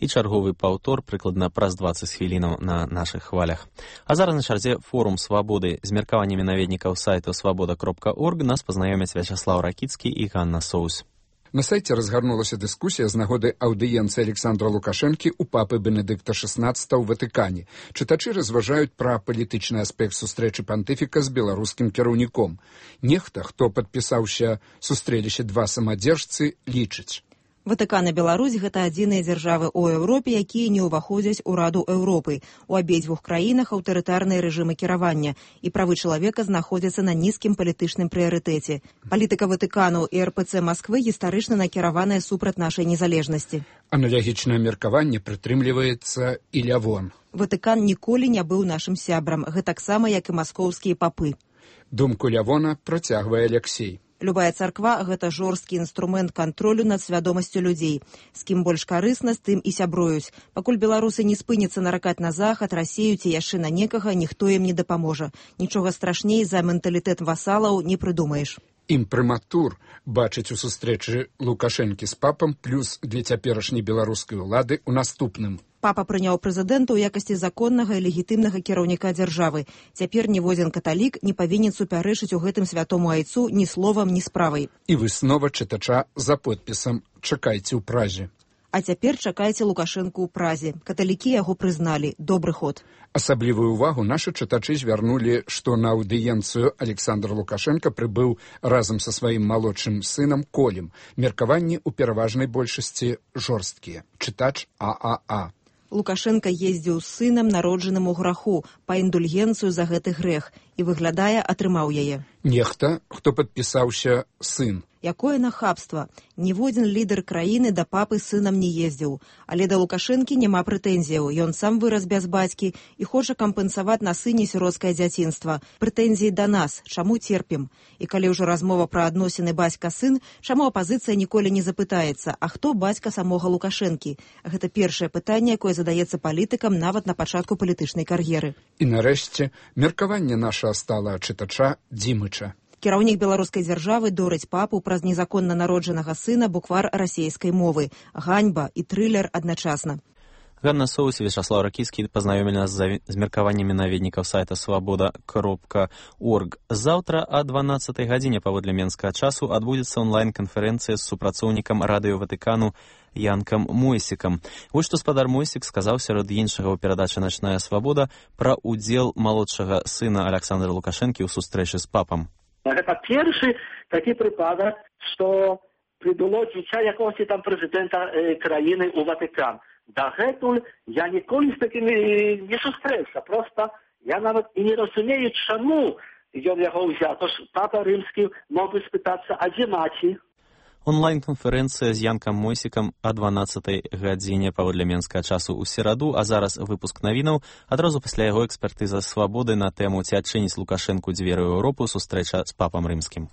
І чарговы паўтор прыкладна праз 20 хвілінаў на нашых хвалях. А зараз на чарзе форум свабоды з меркаваннямі наведнікаў сайту свабода.орг нас пазнаёмяць Вячаслаў Ракіцкі і Ганна Соус. На сайце разгарнулася дыскусія з нагоды аўдыенцыі Александра Лукашэнкі у папы Бенедыкта XVI ў Ватыкане. Чытачы разважаюць пра палітычны аспект сустрэчы пантыфіка з беларускім кіраўніком. Нехта, хто падпісаўся сустрэліще два самадзержцы, лічыць. Ватыкан і Беларусь – гэта адзіныя дзяржавы ў Еўропе, якія не ўваходзяць у Раду Еўропы. У абедзвюх краінах аўтарытарныя рэжымы кіравання, і правы чалавека знаходзяцца на нізкім палітычным прыярытэце. Палітыка Ватыкану і РПЦ Масквы гістарычна накіраваная супраць нашай незалежнасці. Аналагічнае меркаванне прытрымліваецца і Лявон. Ватыкан ніколі не быў нашым сябрам, гэтаксама, як і маскоўскія папы. Думку Лявона працягвае Алексей. Любая царква – гэта жорсткі інструмент кантролю над свядомасцю людзей. З кім больш карысна, з тым і сябруюць. Пакуль беларусы не спыняцца наракаць на захад, Расію ці яшчэ на некага, ніхто ім не дапаможа. Нічога страшней за менталітэт васалаў не прыдумаеш. Імпрыматур бачыць у сустрэчы Лукашэнкі з папам плюс для цяперашняй беларускай улады ў наступным. Папа прыняў прэзідэнта ў якасці законнага і легітымнага кіраўніка дзяржавы. Цяпер ніводзін каталік не павінен супярэчыць у гэтым святому айцу ні словам, ні справай. І выснова чытача за подпісам «Чакайце ў Празе». А цяпер чакайце Лукашэнку ў Празе. Каталікі яго прызналі. Добры ход. Асаблівую ўвагу нашы чытачы звярнулі, што на аўдыенцыю Александр Лукашенко прыбыў разам са сваім малодшым сынам Колем. Меркаванні ў пераважнай большасці жорсткія. Чытач ААА. Лукашенко ездзіў з сынам, народжаным у граху, па індульгенцыю за гэты грэх, і, выглядае, атрымаў яе. Нехта, хто падпісаўся сын. Якое нахабства. Ніводзін лідар краіны да папы сынам не ездзіў. Але да Лукашэнкі няма прэтэнзіяў. Ён сам вырас без бацькі і хоча кампенсаваць на сыне сіротскае дзяцінства. Прэтэнзіі да нас. Чаму терпім? І калі ўжо размова пра адносіны бацька-сын, чаму апазіцыя ніколі не запытаецца, а хто бацька самога Лукашэнкі? Гэта першае пытанне, якое задаецца палітыкам нават на пачатку палітычнай кар'еры. І нарэшце, меркаванне нашага стала чытача Дзімыча. Кіраўнік беларускай дзяржавы дорыць папу праз незаконна народжанага сына буквар расейскай мовы. Ганьба і трылер адначасна. Ганна Соус і Вячаслав Ракіцкі пазнаёмілі нас з меркаваннямі наведнікаў сайта свабода.орг. Заўтра о 12 гадзіне паводле менскага часу адбудзецца онлайн-канферэнцыя з супрацоўнікам радыё Ватыкану Янкам Мойсікам. Вось што спадар Мойсік сказаў сярод іншага ў перадачы «Начная свабода» пра ўдзел малодшага сына Александра Лукашэнкі ў сустрэчы з папам. Гэта першы такі прыпадак, што прыбыло дзіця якогось там прэзідэнта краіны ў Ватыкан. Дагэтуль я ніколі з такімі не сустрэўся. Проста я нават і не разумею, чаму ён яго ўзяў. Тож папа рымскі мог бы спытацца, а дзе маці? Онлайн-канферэнцыя з Янкам Мойсікам о 12 гадзіне паводле менскага часу ў сераду, а зараз выпуск навінаў. Адразу пасля яго экспертыза свабоды на тэму «Ці адчыніць Лукашэнку дзверы ў Еўропу» сустрэча з папам рымскім.